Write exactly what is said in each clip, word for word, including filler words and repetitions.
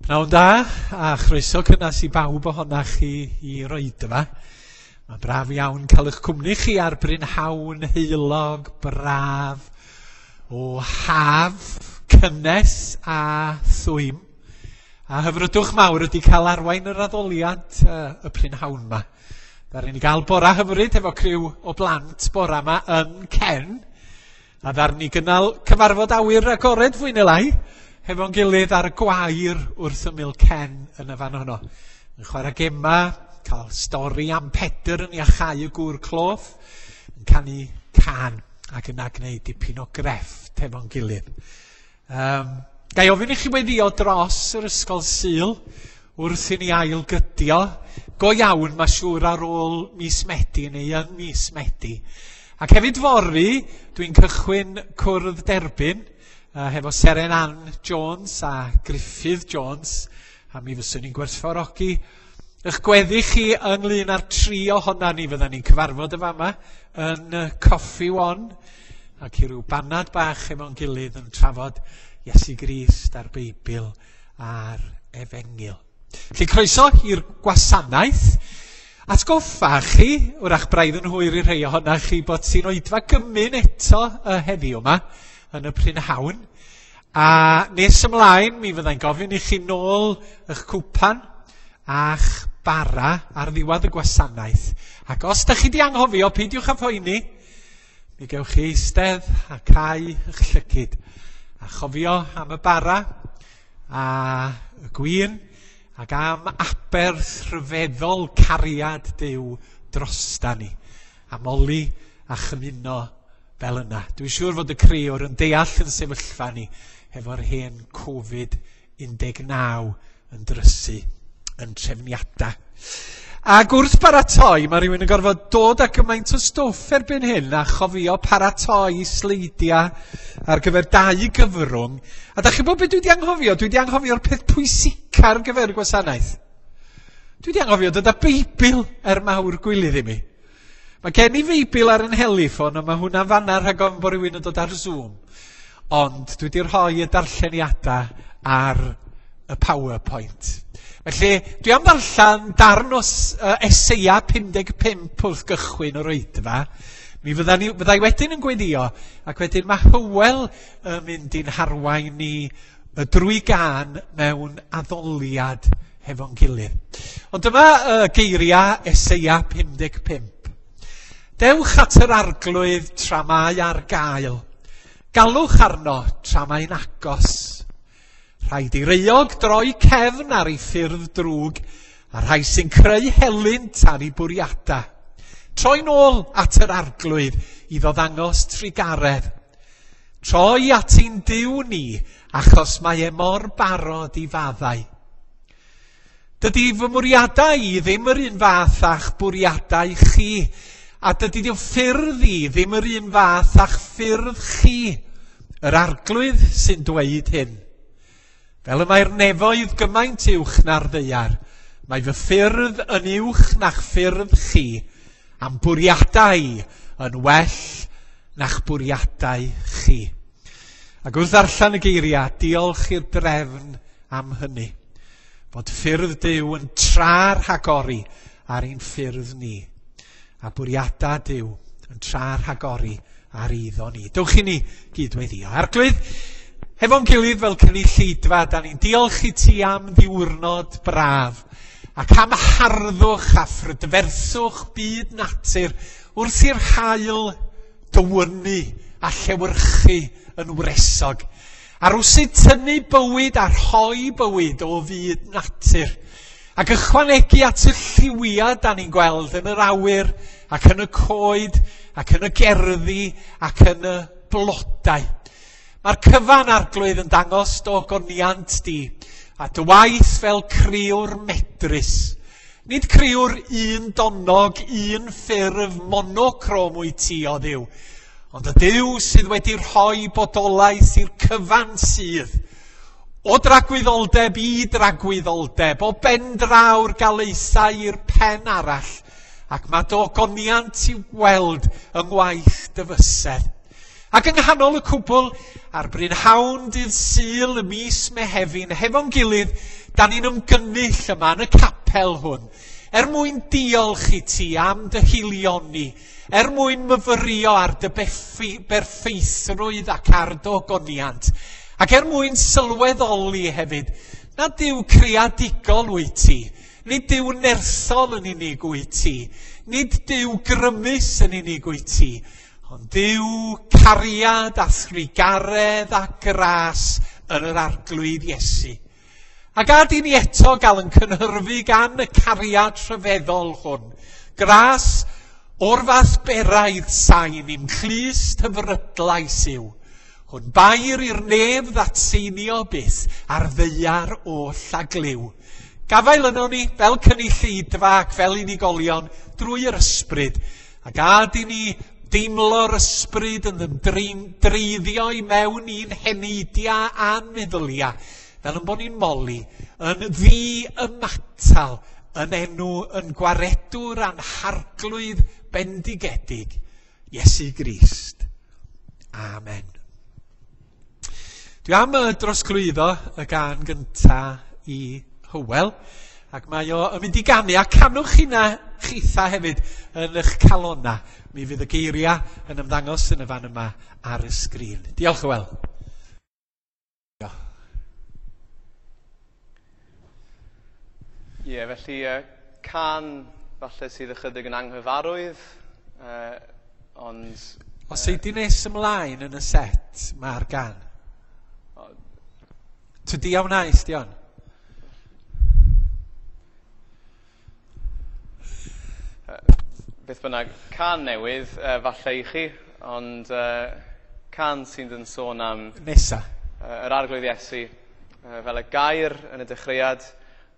Pnawn da, a chroeso cynnas i bawb ohonach chi i'r oedfa. Mae'n braf iawn cael eich cwmni chi ar brynhawn heulog, braf, o haf, cynnes a thwym. A hyfrydwch mawr ydy cael arwain yr addoliad uh, y prynhawn yma. Ddaru ni gael bora hyfryd efo criw o blant bora yma yn Cen. A ddaru ni gynnal cyfarfod awyr agored fwy neu lai hefo'n gilydd ar y gwair wrth ymyl Cen yn y fan honno. Yn chwarae gema, cael stori am Pedr yn iachau y gŵr cloff, yn canu cân ac yna gwneud dipyn o grefft hefo'n gilydd. Um, Ga i ofyn i chi weddio dros yr ysgol Sul wrth i ni ailgydio. Go iawn, mae siŵr ar ôl mis Medi neu yn mis Medi. Ac hefyd fory, dwi'n cychwyn cwrdd derbyn uh, hefo Seren Ann Jones a Gruffydd Jones, a mi fyswn ni'n gwerthfawrogi eich gweddi chi ynglyn â'r tri ohona ni. Fyddan ni'n cyfarfod y fama yn Coffi One ac i ryw banad bach efo'n gilydd yn trafod Iesu Grist a'r Beibl a'r Efengyl. Felly croeso i'r gwasanaeth. Atgoffa chi, wrach braidd yn hwyr i rhai ohonach chi, bod ti'n oedfa gymun eto uh, heddiw yma yn y prynhawn. A nes ymlaen, mi fyddai'n gofyn i chi nôl eich cwpan a'ch bara ar ddiwedd y gwasanaeth. Ac os da chi di anghofio, peidiwch â phoeni, mi gewch chi eistedd a cau eich llygid a chofio am y bara a y gwin ac am aberth rhyfeddol cariad Duw drosta ni. A moli a chymuno fel yna. Dwi'n siŵr fod y crëwr yn deall yn sefyllfa ni hefo'r hen Covid un deg naw yn drysu yn trefniadau. Ac wrth baratoi, mae rhywun yn gorfod dod â gymaint o stwff erbyn hyn a chofio paratoi sleidiau ar gyfer dau gyfrwng. A da chi'n bod beth dwi wedi anghofio? Dwi wedi anghofio'r peth pwysica ar gyfer y gwasanaeth. Dwi wedi anghofio dod â Beibl er mawr gwilydd i mi. Mae gen i Feibl ar yn heliffon, ond mae hwnna'n fanna rhag ofn bod rhywun yn dod ar Zoom. Ond dwi wedi rhoi y darlleniadau ar y PowerPoint. Felly, dwi am ddarllen darn o uh, Eseia pum deg pump wrth gychwyn yr oedfa. Mi fydda ni, fyddai wedyn yn gweddio, ac wedyn mae Hywel yn mynd i'n harwain ni y drwy gân mewn addoliad hefo'n gilydd. Ond dyma uh, geiriau Eseia pum deg pump. Dewch at yr Arglwydd tra mae ar gael. Galwch arno tra mae'n agos. Rhaid i'r euog droi cefn ar ei ffyrdd drwg a rhai sy'n creu helynt ar ei bwriadau. Troi nôl at yr Arglwydd iddo ddangos trugaredd. Troi at ein Duw ni, achos mae e mor barod i faddau. Dydy fy mwriadau i ddim yr un fath a'ch bwriadau chi, a dydy dy ffyrdd i ddim yr un fath a'ch ffyrdd chi. Yr Arglwydd sy'n dweud hyn. Fel y mae'r nefoedd gymaint uwch na'r ddaear, mae fy ffyrdd yn uwch na'ch ffyrdd chi, a'm bwriadau yn well na'ch bwriadau chi. Ac wrth ddarllen y geiriau, diolch i'r drefn am hynny. Fod ffyrdd Duw yn tra rhagori ar ein ffyrdd ni. A bwriadau Duw yn tra rhagori ar eiddo ni. Dewch i ni gydweddio. Arglwydd, hefo'n gilydd fel cynulleidfa, da ni'n diolch i ti am ddiwrnod braf ac am harddwch a phrydferthwch byd natur wrth i'r haul dywynnu a llewyrchu yn wresog. A rwsut tynnu bywyd a rhoi bywyd o fyd natur. Ac ychwanegu at y lliwiau da ni'n gweld yn yr awyr ac yn y coed ac yn y gerddi ac yn y blodau. Mae'r cyfan, Arglwydd, yn dangos dy ogoniant di a dy waith fel crëwr medrus. Nid crëwr un donog, un ffurf monocrom wyt ti, o Dduw, ond y Duw sydd wedi rhoi bodolaeth i'r cyfan sydd. O dragwyddoldeb i dragwyddoldeb, o ben draw'r galaethau i'r pen arall, ac mae dy ogoniant i'w weld yng ngwaith dy fysedd. Ac yng nghanol y cwbl, ar brynhawn dydd Sul y mis Mehefin, hefo'n gilydd, da ni'n ymgynnull yma yn y capel hwn, er mwyn diolch i ti am dy haelioni, er mwyn myfyrio ar dy berffeithrwydd ac ar dy ogoniant, ac er mwyn sylweddoli hefyd nad Duw creadigol wyt ti, nid Duw nerthol yn unig wyt ti, nid Duw grymus yn unig wyt ti, ond Duw cariad a thrugaredd a gras yn yr Arglwydd Iesu. A gad i ni eto gael yn cynhyrfu gan y cariad rhyfeddol hwn. Gras o'r fath beraidd sain i'm clust hyfrydlais yw. Hwn bair i'r nef ddatseinio byth a'r ddaear oll a glyw. Gafael yno ni fel cynulleidfa ac fel unigolion drwy yr ysbryd. A gad i ni deimlo'r ysbryd yn ymdreiddio i mewn i'n heneidiau a'n meddyliau, fel yn bod ni'n moli, yn ddi-ymatal, yn enw yn gwaredwr a'n harglwydd bendigedig, Iesu Grist. Amen. Dwi am drosglwyddo y gân gynta i Hywel, ac mae o yn mynd i ganu, a canwch hynna chitha hefyd yn eich calona. Mi fydd y geiriau yn ymddangos yn y fan yma ar y sgrin. Diolch, Hywel. Ie, yeah, felly uh, can falle sydd ychydig yn anghyfarwydd, uh, ond... Os ei di nes ymlaen yn y set, mae'r gan. Tydi a wnaeth, Dion? Uh, beth bynnag, can newydd, uh, falle i chi, ond uh, can sydd yn sôn am... Nesa. Uh, yr Arglwydd Iesu, uh, fel y gair yn y dechreuad,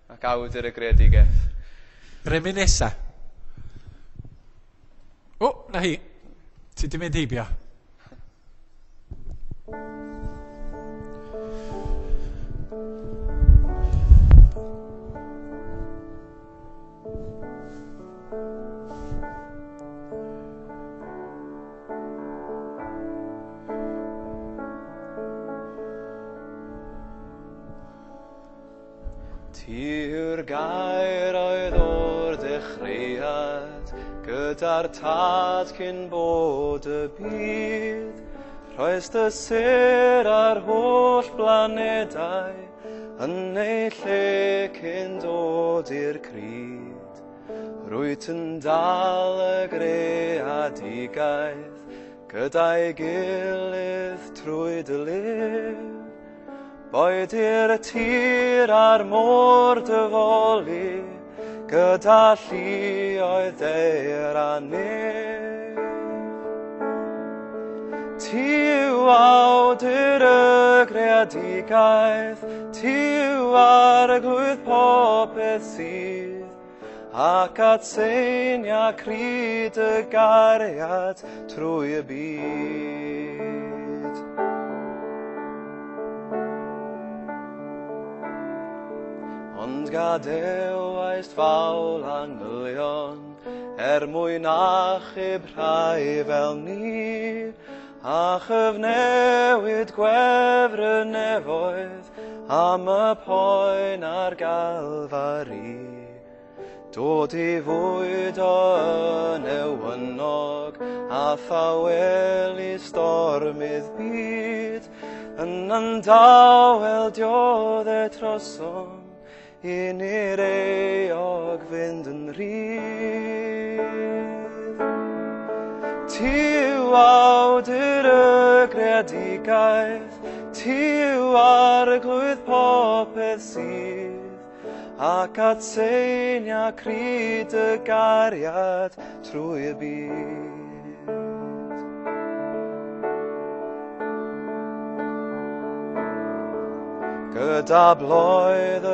ac awdur y greadigaeth. Remy nesa. O, na hi. Ti di mynd heibio. Ti yw'r gair oedd o'r dechreuad, gyda'r tad cyn bod y byd. Rhoes dy sêr ar holl blanedau, yn eu lle cyn dod i'r cryd. Rwyt yn dal y greadigaeth, gyda'i gilydd trwy dy lif. Boed i'r tir a'r môr dyfoli, gyda lluoedd daear a nef. Ti yw awdur y greadigaeth, ti yw arglwydd popeth sydd, ac atseinia cryd y gariad trwy y byd. Ond gadewaist fawl angylion, er mwyn achub rhai fel ni, a chyfnewid gwefr y nefoedd am y poen ar Galfari. Dod i fwydo yn ewynog, a thawelu stormydd byd, yn yndawel diodde trosom, i ni'r euog fynd yn rhydd. Ti yw awdur y greadigaeth, ti yw arglwydd popeth sydd, ac atseinia cryd y gariad trwy y byd. Gyda bloedd y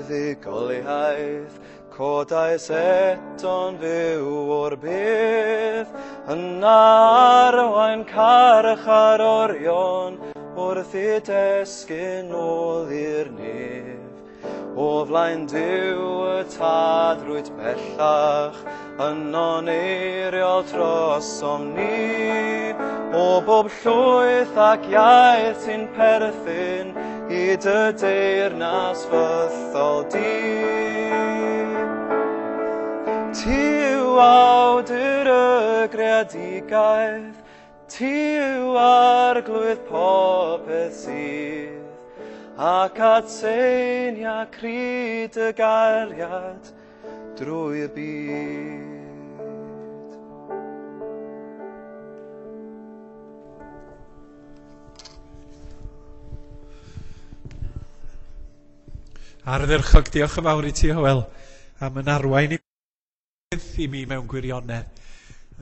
fuddugoliaeth, codais eto'n fyw o'r bydd, yn arwain carcharorion wrth i desgyn ôl i'r nef. O flaen Duw y Tad rwyt bellach, yno'n eiriol trosom ni. O bob llwyth ac iaith sy'n perthyn i dy deyrnas fythol di. Ti yw awdur y greadigaeth, ti yw arglwydd popeth sydd, ac atseinia cryd y gariad drwy y byd. Ardderchog, diolch yn fawr i ti, Hywel, am yn arwain i i mi mewn gwirionedd.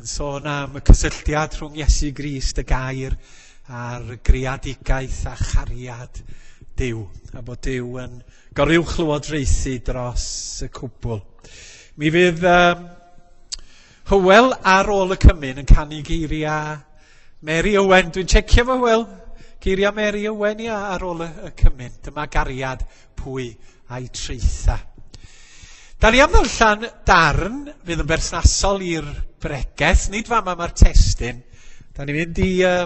Yn sôn am y cysylltiad rhwng Iesu Grist, y gair, a'r greadigaeth a chariad Duw, a bod Duw yn goruwchlywodraethu dros y cwbl. Mi fydd um, Hywel ar ôl y cymun yn canu geiriau Mary Owen. Dwi'n checio fo, Hywel. Geiriau Mary Owen ia, ar ôl y, y cymun. Dyma gariad pwy a'i traetha. Da ni am ddarllen darn fydd yn berthnasol i'r bregeth, nid fama mae'r testun. Da ni'n mynd i uh,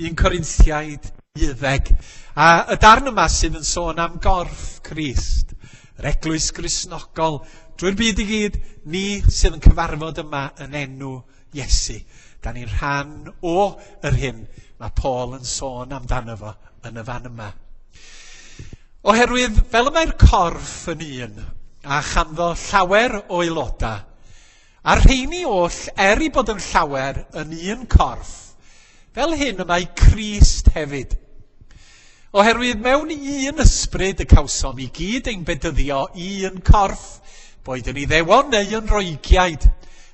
un Corinthiaid deuddeg. A y darn yma sydd yn sôn am gorff Crist, yr eglwys Gristnogol, drwy'r byd i gyd, ni sydd yn cyfarfod yma yn enw Iesu. Da ni'n rhan o yr hyn mae Paul yn sôn amdano fo yn y fan yma. Oherwydd, fel y mae'r corff yn un, a chanddo llawer o aelodau, a'r rheini oll, er i bod yn llawer, yn un corff, fel hyn y mae Crist hefyd. Oherwydd mewn un ysbryd y cawsom i gyd ein bedyddio i un corff, boed yn Iddewon neu yn Roegiaid,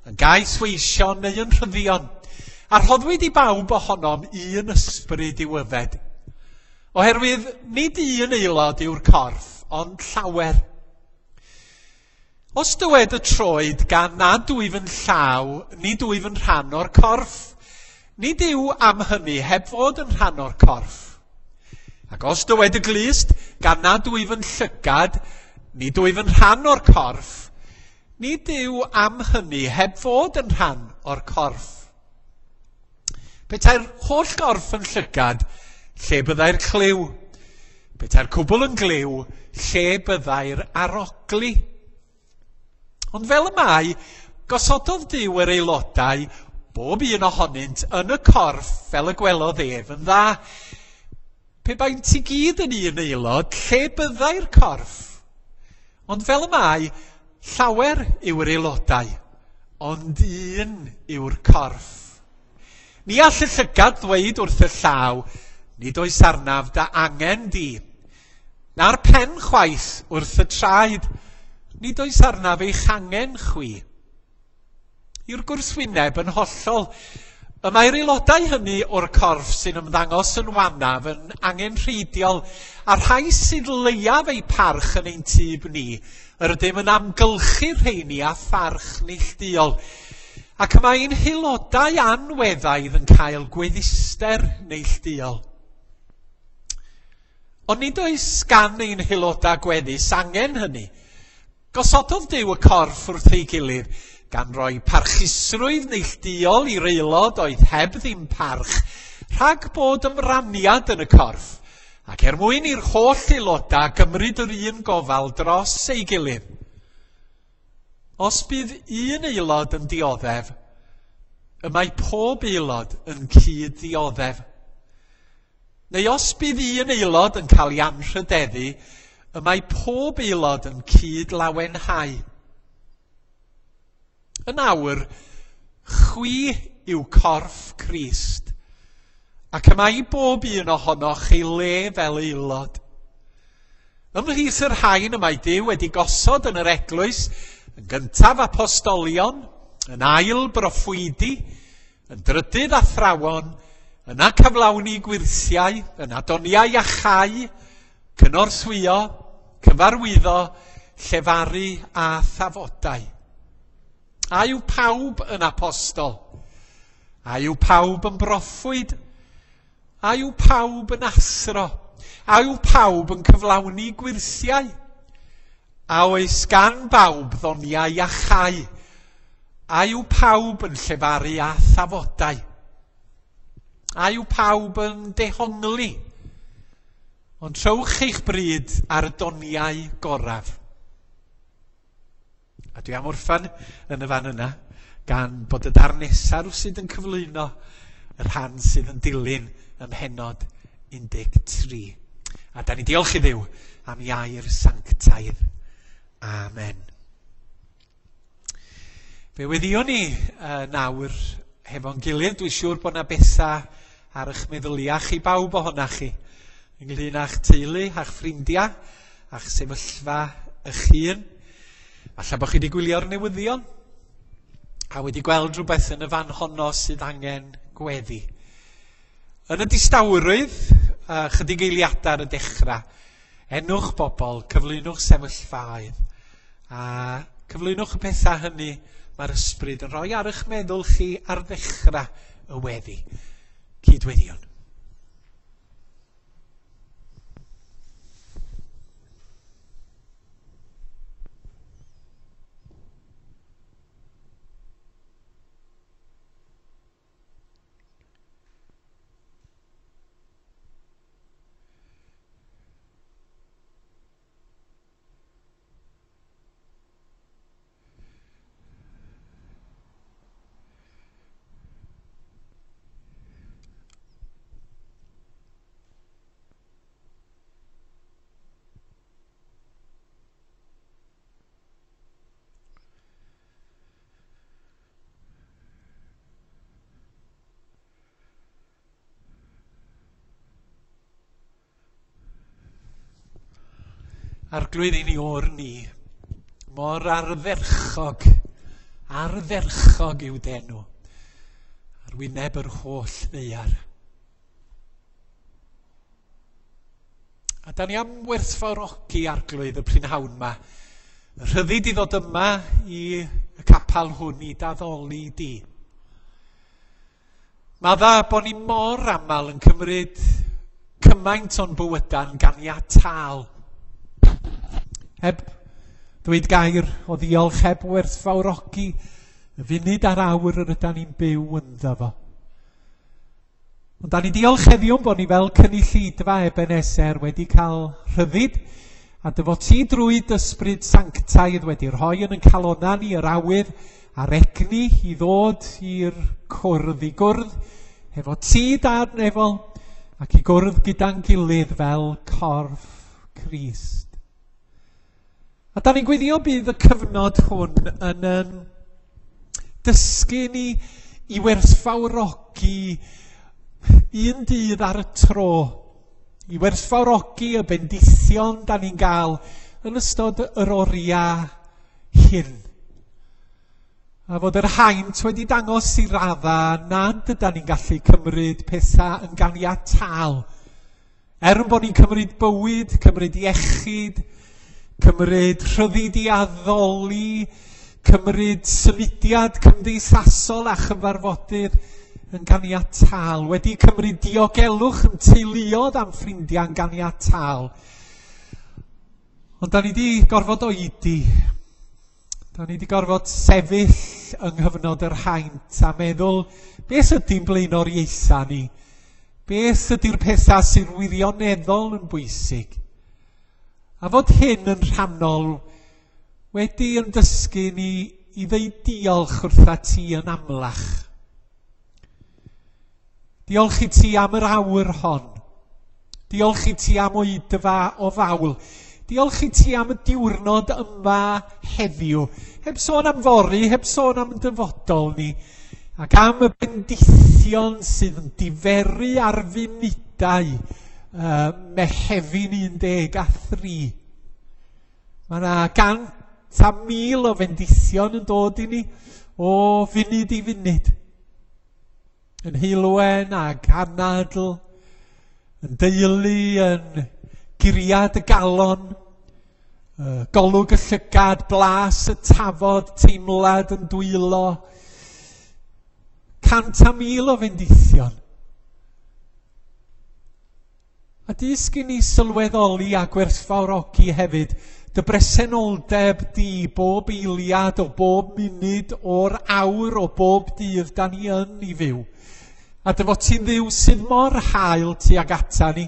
yn gaethweision neu yn rhyddion, a rhoddwyd i bawb ohonom un ysbryd i'w yfed. Oherwydd nid un aelod yw'r corff, ond llawer. Os dywed y troed gan nad wyf yn llaw, nid wyf yn rhan o'r corff, nid yw am hynny heb fod yn rhan o'r corff. Ac os dywed y glust, gan nad wyf yn llygad, nid wyf yn rhan o'r corff, nid yw am hynny heb fod yn rhan o'r corff. Petai'r holl gorff yn llygad, lle byddai'r clyw? Petai'r cwbl yn glyw, lle byddai'r arogli? Ond fel y mae, gosododd Duw yr aelodau, bob un ohonynt, yn y corff fel y gwelodd ef yn dda. Pe baent i gyd yn un aelod, lle byddai'r corff? Ond fel y mae, llawer yw'r aelodau, ond un yw'r corff. Ni all y llygad ddweud wrth y llaw, nid oes arnaf da angen di, na'r pen chwaith wrth y traed, nid oes arnaf eich angen chwi. I'r gwrthwyneb yn hollol, y mae'r aelodau hynny o'r corff sy'n ymddangos yn wanaf yn angenrheidiol, a rhai sydd leiaf eu parch yn ein tyb ni, yr ydym yn amgylchu'r rheini â pharch neilltuol, ac y mae ein haelodau anweddaidd yn cael gweddister neilltuol. Ond nid oes gan ein haelodau gweddus angen hynny. Gosododd Duw y corff wrth ei gilydd, gan roi parchusrwydd neilltuol i'r aelod oedd heb ddim parch, rhag bod ymraniad yn y corff, ac er mwyn i'r holl aelodau gymryd yr un gofal dros ei gilydd. Os bydd un aelod yn dioddef, y mae pob aelod yn cyd-ddioddef. Neu os bydd un aelod yn cael ei anrhydeddu, y mae pob aelod yn cyd-lawenhau. Yn awr, chwi yw corff Crist, ac y mae i bob un ohonoch ei le fel aelod. Ymhlith yr rhain y mae Duw wedi gosod yn yr eglwys, yn gyntaf apostolion, yn ail broffwydi, yn drydydd athrawon, yna cyflawni gwyrthiau, yna doniau iachau, cynorthwyo, cyfarwyddo, llefaru a thafodau. A yw pawb yn apostol? A yw pawb yn broffwyd? A yw pawb yn athro? A yw pawb yn cyflawni gwyrthiau? A oes gan bawb ddoniau iachau? A yw pawb yn llefaru â thafodau? A yw pawb yn dehongli? Ond trowch eich bryd ar y doniau goraf. A dwi am orffan yn y fan yna, gan bod y darn nesaf rywsut yn cyflwyno y rhan sydd yn dilyn ym mhennod un deg tri. A da ni diolch i Dduw am ei air sanctaidd. Amen. Fe weddïwn ni uh, nawr hefo'n gilydd. Dwi'n siŵr bod yna bethau ar eich meddyliau chi bawb ohonach chi, ynglyn â'ch teulu, a'ch ffrindiau, a'ch sefyllfa eich hun. Falle bod chi wedi gwylio'r newyddion a wedi gweld rhywbeth yn y fan honno sydd angen gweddi. Yn y distawrwydd, uh, chydig eiliadau ar y dechrau, enwch bobl, cyflwynwch sefyllfaoedd, a cyflwynwch y pethau hynny mae'r ysbryd yn rhoi ar eich meddwl chi ar ddechrau y weddi. Cydweddiwn. Arglwydd ein Iôr ni, mor ardderchog, ardderchog yw d'enw, ar wyneb yr holl ddaear. A da ni am werthfawrogi Arglwydd y prynhawn yma, y rhyddid i ddod yma i y capal hwn i d'addoli di. Mae dda bod ni mor aml yn cymryd cymaint o'n bywydau'n ganiataol. Heb ddweud gair o ddiolch, heb werthfawrogi y funud a'r awr yr ydan ni'n byw ynddo fo. Ond da ni diolch heddiw bod ni fel cynulleidfa Ebenezer wedi cael rhyddid a dy fod ti drwy d'ysbryd sanctaidd wedi rhoi yn ein calonnau ni yr awydd a'r egni i ddod i'r cwrdd, i gwrdd hefo ti Dad nefol ac i gwrdd gyda'n gilydd fel corff Crist. A da ni'n gweddio bydd y cyfnod hwn yn, yn dysgu ni i werthfawrogi un dydd ar y tro, i werthfawrogi y bendithion da ni'n gael yn ystod yr oriau hyn. A fod yr haint wedi dangos i radda nad ydan ni'n gallu cymryd pethau yn ganiataol. Er yn bod ni'n cymryd bywyd, cymryd iechyd, cymryd rhyddid i addoli, cymryd symudiad cymdeithasol a chyfarfodydd yn ganiataol, wedi cymryd diogelwch yn teuluoedd am ffrindiau yn ganiataol. Ond da ni wedi gorfod oedi, da ni wedi gorfod sefyll yng nghyfnod yr haint a meddwl, beth ydy'n blaenoriaethau ni? Beth ydy'r pethau sy'n wirioneddol yn bwysig? A fod hyn yn rhannol wedi yn dysgu ni i ddeud diolch wrtha ti yn amlach. Diolch i ti am yr awr hon. Diolch i ti am oedfa o fawl. Diolch i ti am y diwrnod yma heddiw. Heb sôn am fory, heb sôn am dyfodol ni. Ac am y bendithion sydd yn diferu ar funudau uh, Mehefin un deg a thri. Mae yna gant a mil o fendithion yn dod i ni o funud i funud. Yn heulwen ac anadl, yn deulu, yn guriad y galon, golwg y llygad, blas y tafod, teimlad yn dwylo. Cant a mil o fendithion. A dysg i ni sylweddoli a gwerthfawrogi hefyd dy bresenoldeb di bob eiliad o bob munud o'r awr o bob dydd da ni yn ei fyw. A dy fod ti'n Dduw sydd mor hael tuag ata ni,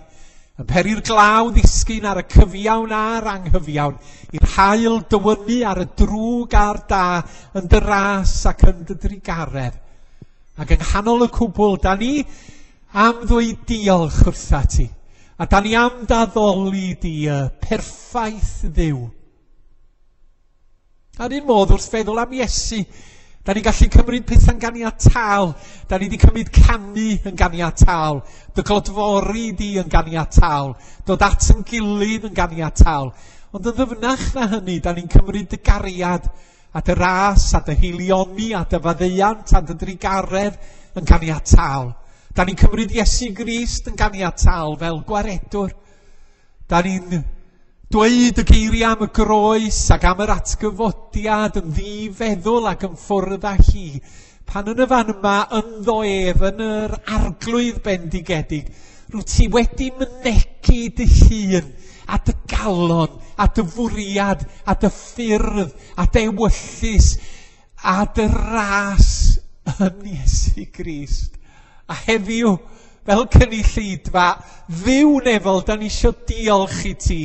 yn peri'r glaw ddisgyn ar y cyfiawn a'r anghyfiawn, i'r haul dywynnu ar y drwg a'r da, yn dy ras ac yn dy drugaredd. Ac yng nghanol y cwbl, da ni am ddweud diolch wrtha ti, a da ni am d'addoli di y perffaith Dduw. A'r un modd wrth feddwl am Iesu, da ni'n gallu cymryd pethau'n ganiataol. Da ni wedi cymryd canu yn ganiataol, dy glodfori di yn ganiataol, dod at yn gilydd yn ganiataol. Ond yn ddyfnach na hynny, da ni'n cymryd dy gariad a dy ras a dy haelioni a dy faddeuant a dy drugaredd yn ganiataol. Da ni'n cymryd Iesu Grist yn ganiataol fel gwaredwr. Da ni'n dweud y geiriau am y groes ac am yr atgyfodiad yn ddifeddwl ac yn ffwrdd â hi. Pan yn y fan yma, ynddo ef, yn yr arglwydd bendigedig, rwyt ti wedi mynegi dy hun a dy galon a dy fwriad a dy ffyrdd a dy ewyllys a dy ras yn Iesu Grist. A heddiw, fel cynulleidfa, Dduw nefol, da ni isio diolch i ti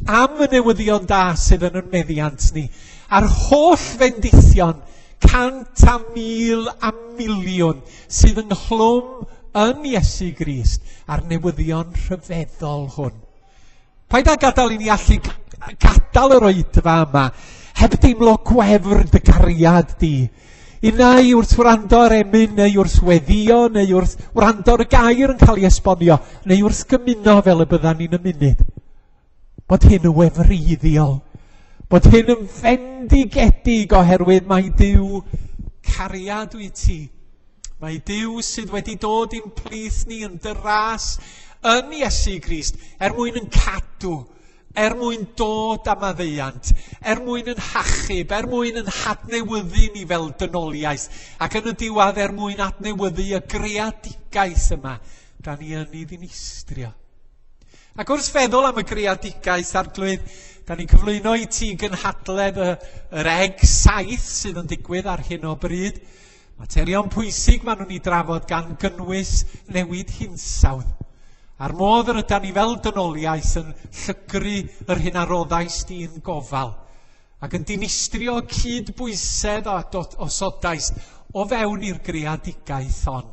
am y newyddion da sydd yn ein meddiant ni, a'r holl fendithion, cant a mil a miliwn sydd ynghlwm yn Iesu Grist, a'r newyddion rhyfeddol hwn. Paid â gadael i ni allu gadael yr oedfa yma heb deimlo gwefr dy gariad di. Unai wrth wrando ar emyn, neu wrth weddio, neu wrth wrando ar y gair yn cael ei esbonio, neu wrth gymuno fel y byddan ni'n ymunud. Bod hyn yn wefreiddiol, bod hyn yn fendigedig oherwydd mai Duw cariad wyt ti. Mae Duw sydd wedi dod i'n plith ni yn dy ras yn Iesu Grist er mwyn yn cadw, er mwyn dod am maddeuant, er mwyn yn hachub, er mwyn yn hadnewyddu ni fel dynoliaeth, ac yn y diwedd er mwyn adnewyddu y greadigaeth yma da ni yn ei ddinistrio. Ac wrth feddwl am y greadigaeth, Arglwydd, da ni'n cyflwyno i ti gynhadledd y, yr E G saith sydd yn digwydd ar hyn o bryd. Materion pwysig maen nhw'n ei drafod gan gynnwys newid hinsawdd. A'r modd yr ydan ni fel dynoliaeth yn llygru yr hyn a roddais di'n gofal ac yn dinistrio cydbwysedd a osodais o fewn i'r greadigaeth hon.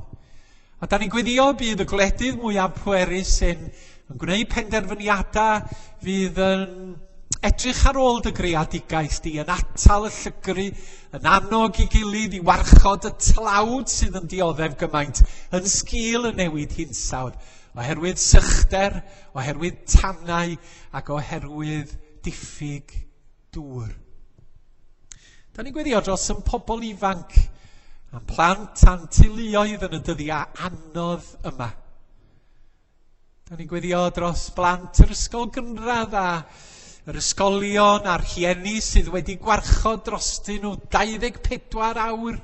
A da ni'n gweddio bydd y gwledydd mwyaf pwerus sy'n yn gwneud penderfyniadau fydd yn edrych ar ôl dy greadigaeth di, yn atal y llygru, yn annog i gilydd i warchod y tlawd sydd yn dioddef gymaint yn sgil y newid hinsawdd, oherwydd sychder, oherwydd tanau ac oherwydd diffyg dŵr. Da ni'n gweddio dros yn pobl ifanc a'n plant a'n teuluoedd yn y dyddiau anodd yma. Da ni'n gweddio dros blant yr ysgol gynradd a yr ysgolion a'r rhieni sydd wedi gwarchod drostyn nhw dau ddeg pedwar awr,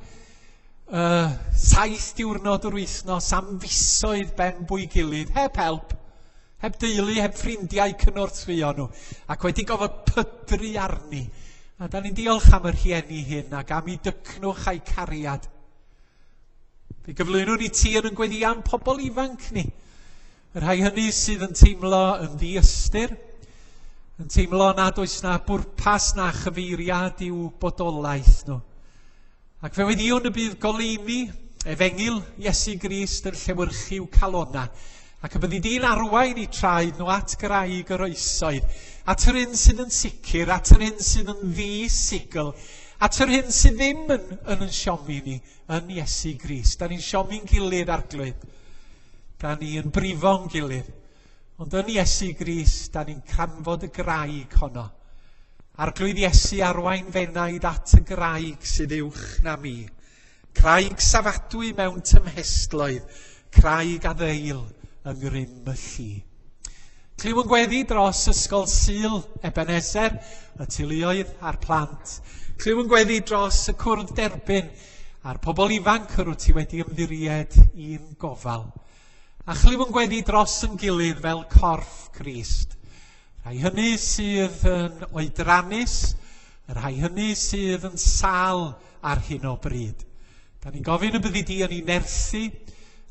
uh, saith diwrnod yr wythnos am fisoedd ben bwy gilydd, heb help, heb deulu, heb ffrindiau cynorthwyo nhw, ac wedi gofod pydru arni. A da ni'n diolch am y rhieni hyn ac am eu dycnwch a'u cariad. Fe gyflwynwn ni ti yn yn gweddi am pobl ifanc ni. Y rhai hynny sydd yn teimlo yn ddiystyr, yn teimlo nad oes na bwrpas na chyfeiriad i'w bodolaeth nhw. Ac fe weddïwn y bydd goleuni efengyl Iesu Grist yn llewyrchu i'w calona, ac y byddi di'n arwain i traed nhw at graig yr oesoedd, at yr un sydd yn sicr, at yr un sydd yn ddi-sigl, at yr hyn sydd ddim yn, yn yn siomi ni, yn Iesu Grist. Da ni'n siomi'n gilydd, Arglwydd. Da ni yn brifo'n gilydd. Ond yn Iesu Grist, da ni'n canfod y graig honno. Arglwydd Iesu, arwain f'enaid at y graig sydd uwch na mi. Craig safadwy mewn tymhestloedd, craig a ddeil yng ngrym y lli. Clyw yn gweddi dros Ysgol Sul Ebenezer, y teuluoedd a'r plant. Clyw yn gweddi dros y cwrdd derbyn a'r pobl ifanc yr wyt ti wedi ymddiried i'n gofal. A chlyw yn gweddi dros yn gilydd fel corff Crist. Rhai hynny sydd yn oedrannus, y rhai hynny sydd yn sâl ar hyn o bryd. Da ni'n gofyn y byddi di yn ei nerthu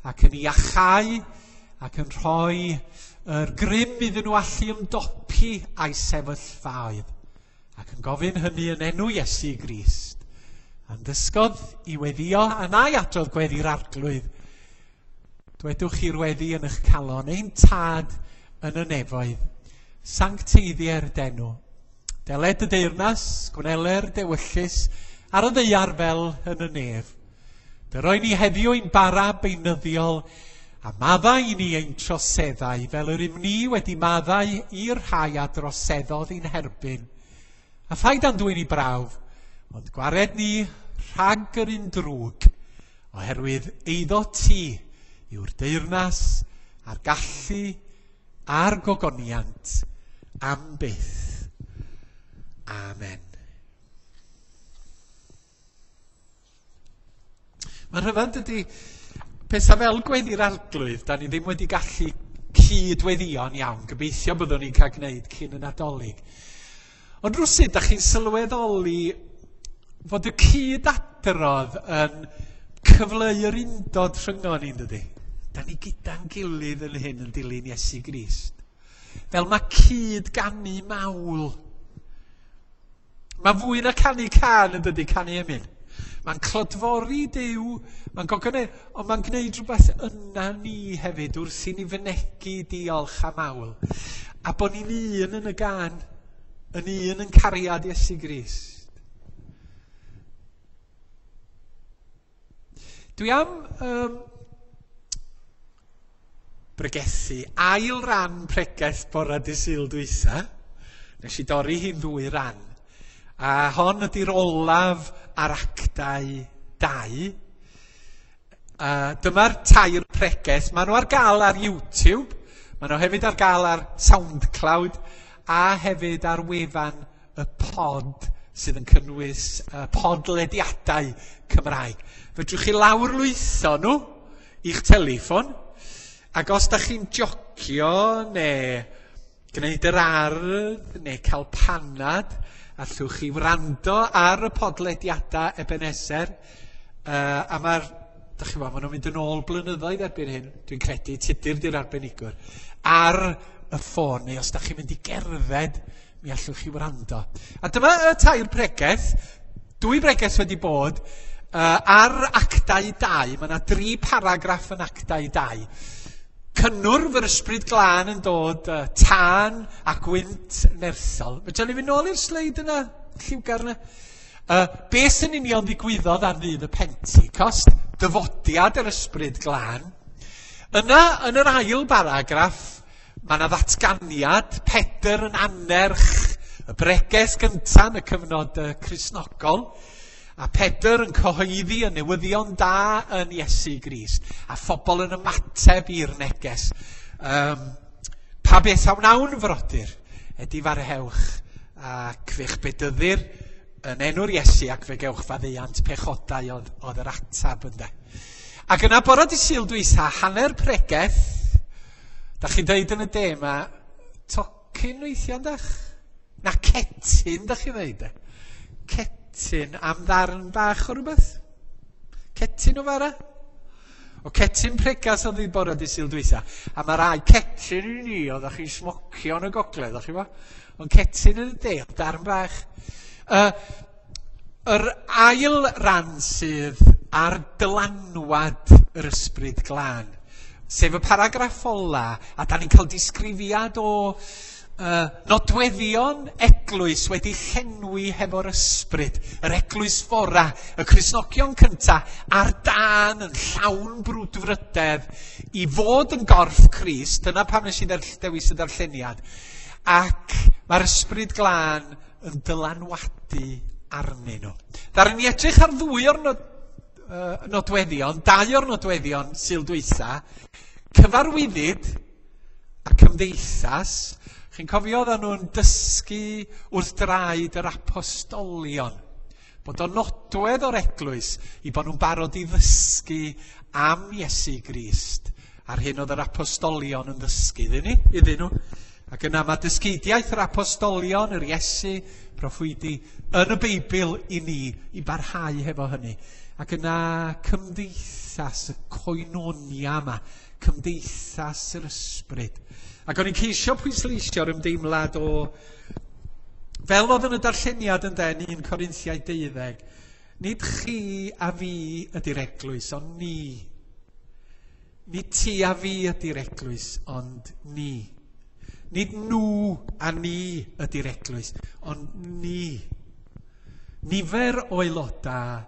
ac yn ei iachau ac yn rhoi yr grym iddyn nhw allu ymdopi a'i sefyllfaoedd. Ac yn gofyn hynny yn enw Iesu Grist. A'n dysgodd i weddio a na'i adrodd gweddi'r Arglwydd. Dwedwch chi'r weddi yn eich calon, ein Tad yn y nefoedd, sancteiddier d'enw. Deled y deyrnas, gwneler dewyllys, ar y ddaear fel yn y nef. Dyroi ni heddiw ein bara beunyddiol, a maddau i ni ein troseddau, fel yr ym ni wedi maddau i'r rhai a droseddodd i'n herbyn. A phaid â'n dwyn i brawf, ond gwared ni rhag yr un drwg, oherwydd eiddo ti yw'r deyrnas a'r gallu a'r gogoniant am byth. Amen. Mae'n rhyfedd dydy, pethau fel gweddi'r Arglwydd, da ni ddim wedi gallu cyd-weddïo'n iawn. Gobeithio byddwn ni'n cael gwneud cyn y Nadolig. Ond rwsut, da chi'n sylweddoli fod y cyd-adrodd yn cyfleu'r undod rhyngon ni'n dydy. Da ni gyda'n gilydd yn hyn yn dilyn Iesu Grist. Fel mae cyd-ganu mawl. Mae fwy na canu cân yn dydy, canu emyn. Mae'n clodfori Duw, mae'n gogonedd, ond mae'n gwneud rhywbeth yna ni hefyd wrth i ni fynegi diolch a mawl. A bod ni'n un yn y gân, yn un yn cariad Iesu Grist. Dwi am um, bregethu ail ran pregeth bore dydd Sul dwytha. Nes i dorri hi'n ddwy ran. A hon ydy'r olaf ar actau dau. Uh, dyma'r tair pregeth. Maen nhw ar gael ar YouTube. Maen nhw hefyd ar gael ar SoundCloud a hefyd ar wefan y pod sydd yn cynnwys uh, podlediadau Cymraeg. Fedrwch chi lawrlwytho nhw i'ch teleffon, ac os da chi'n jocio neu gwneud yr ardd neu cael panad, allwch chi wrando ar y podlediadau Ebenezer, uh, a mae'r, da chi weld, maen nhw'n mynd yn ôl blynyddoedd erbyn hyn, dwi'n credu, Tudur di'r arbenigwr, ar y ffôn, neu os da chi'n mynd i gerdded, mi allwch chi wrando. A dyma y tair pregeth, dwy bregeth wedi bod, uh, ar actau dau, mae yna dri paragraff yn actau dau. Cynnwrf yr Ysbryd Glân yn dod, uh, tân a gwynt nerthol. Fedra ni fynd nôl i'r sleid yna, lliwgar yna? Uh, beth yn union ddigwyddodd ar ddydd y Pentecost? Dyfodiad yr Ysbryd Glân. Yna, yn yr ail baragraff, mae yna ddatganiad, Pedr yn annerch y bregeth gyntaf yn y cyfnod uh, Cristnogol, a Pedr yn cyhoeddi y newyddion da yn Iesu Grist, a phobl yn ymateb i'r neges. Um, pa beth a wnawn, frodyr? Edifarhewch ac fe'ch bedyddir yn enw'r Iesu ac fe gewch faddeuant pechodau oedd, oedd yr atab ynde. Ac yna bore dydd Sul dwytha, hanner pregeth, da chi'n deud yn y de ma, tocyn weithiau yndach? Na cetyn, da chi'n ddeud e? Cetyn am ddarn bach o rhywbeth? Cetyn o fara? O cetyn pregas oedd hi bore dydd Sul dwytha. A mae rai cetyn i ni, oeddech chi'n smocio yn y gogledd, o'ch chi bo? Ond cetyn yn y de, darn bach. Uh, yr ail ran sydd ar dylanwad yr Ysbryd Glân, sef y paragraff ola, a da ni'n cael disgrifiad o uh, nodweddion eglwys wedi llenwi hefo'r ysbryd, yr eglwys fora, y Cristnogion cynta, ar dân yn llawn brwdfrydedd i fod yn gorff Crist, dyna pam nes i dewis y darlleniad, ac mae'r Ysbryd Glân yn dylanwadu arnyn nhw. Ddaru ni edrych ar ddwy o'r nod, uh, nodweddion, dau o'r nodweddion Sul dwytha, cyfarwyddyd a cymdeithas. Chi'n cofio oedden nhw'n dysgu wrth draed yr apostolion, bod o'n nodwedd o'r eglwys i bod nhw'n barod i ddysgu am Iesu Grist a'r hyn oedd yr apostolion yn ddysgu iddyn ni, iddyn nhw. Ac yna mae dysgeidiaeth yr apostolion, yr Iesu, proffwydi, yn y Beibl i ni, i barhau hefo hynny. Ac yna cymdeithas, y koinonia yma, cymdeithas yr ysbryd. Ac o'n i'n ceisio pwysleisio'r ymdeimlad o, fel oedd yn y darlleniad yn den, un Corinthiaid deuddeg, nid chi a fi ydy'r eglwys, ond ni. Nid ti a fi ydy'r eglwys, ond ni. Nid nhw a ni ydy'r eglwys, ond ni. Nifer o aelodau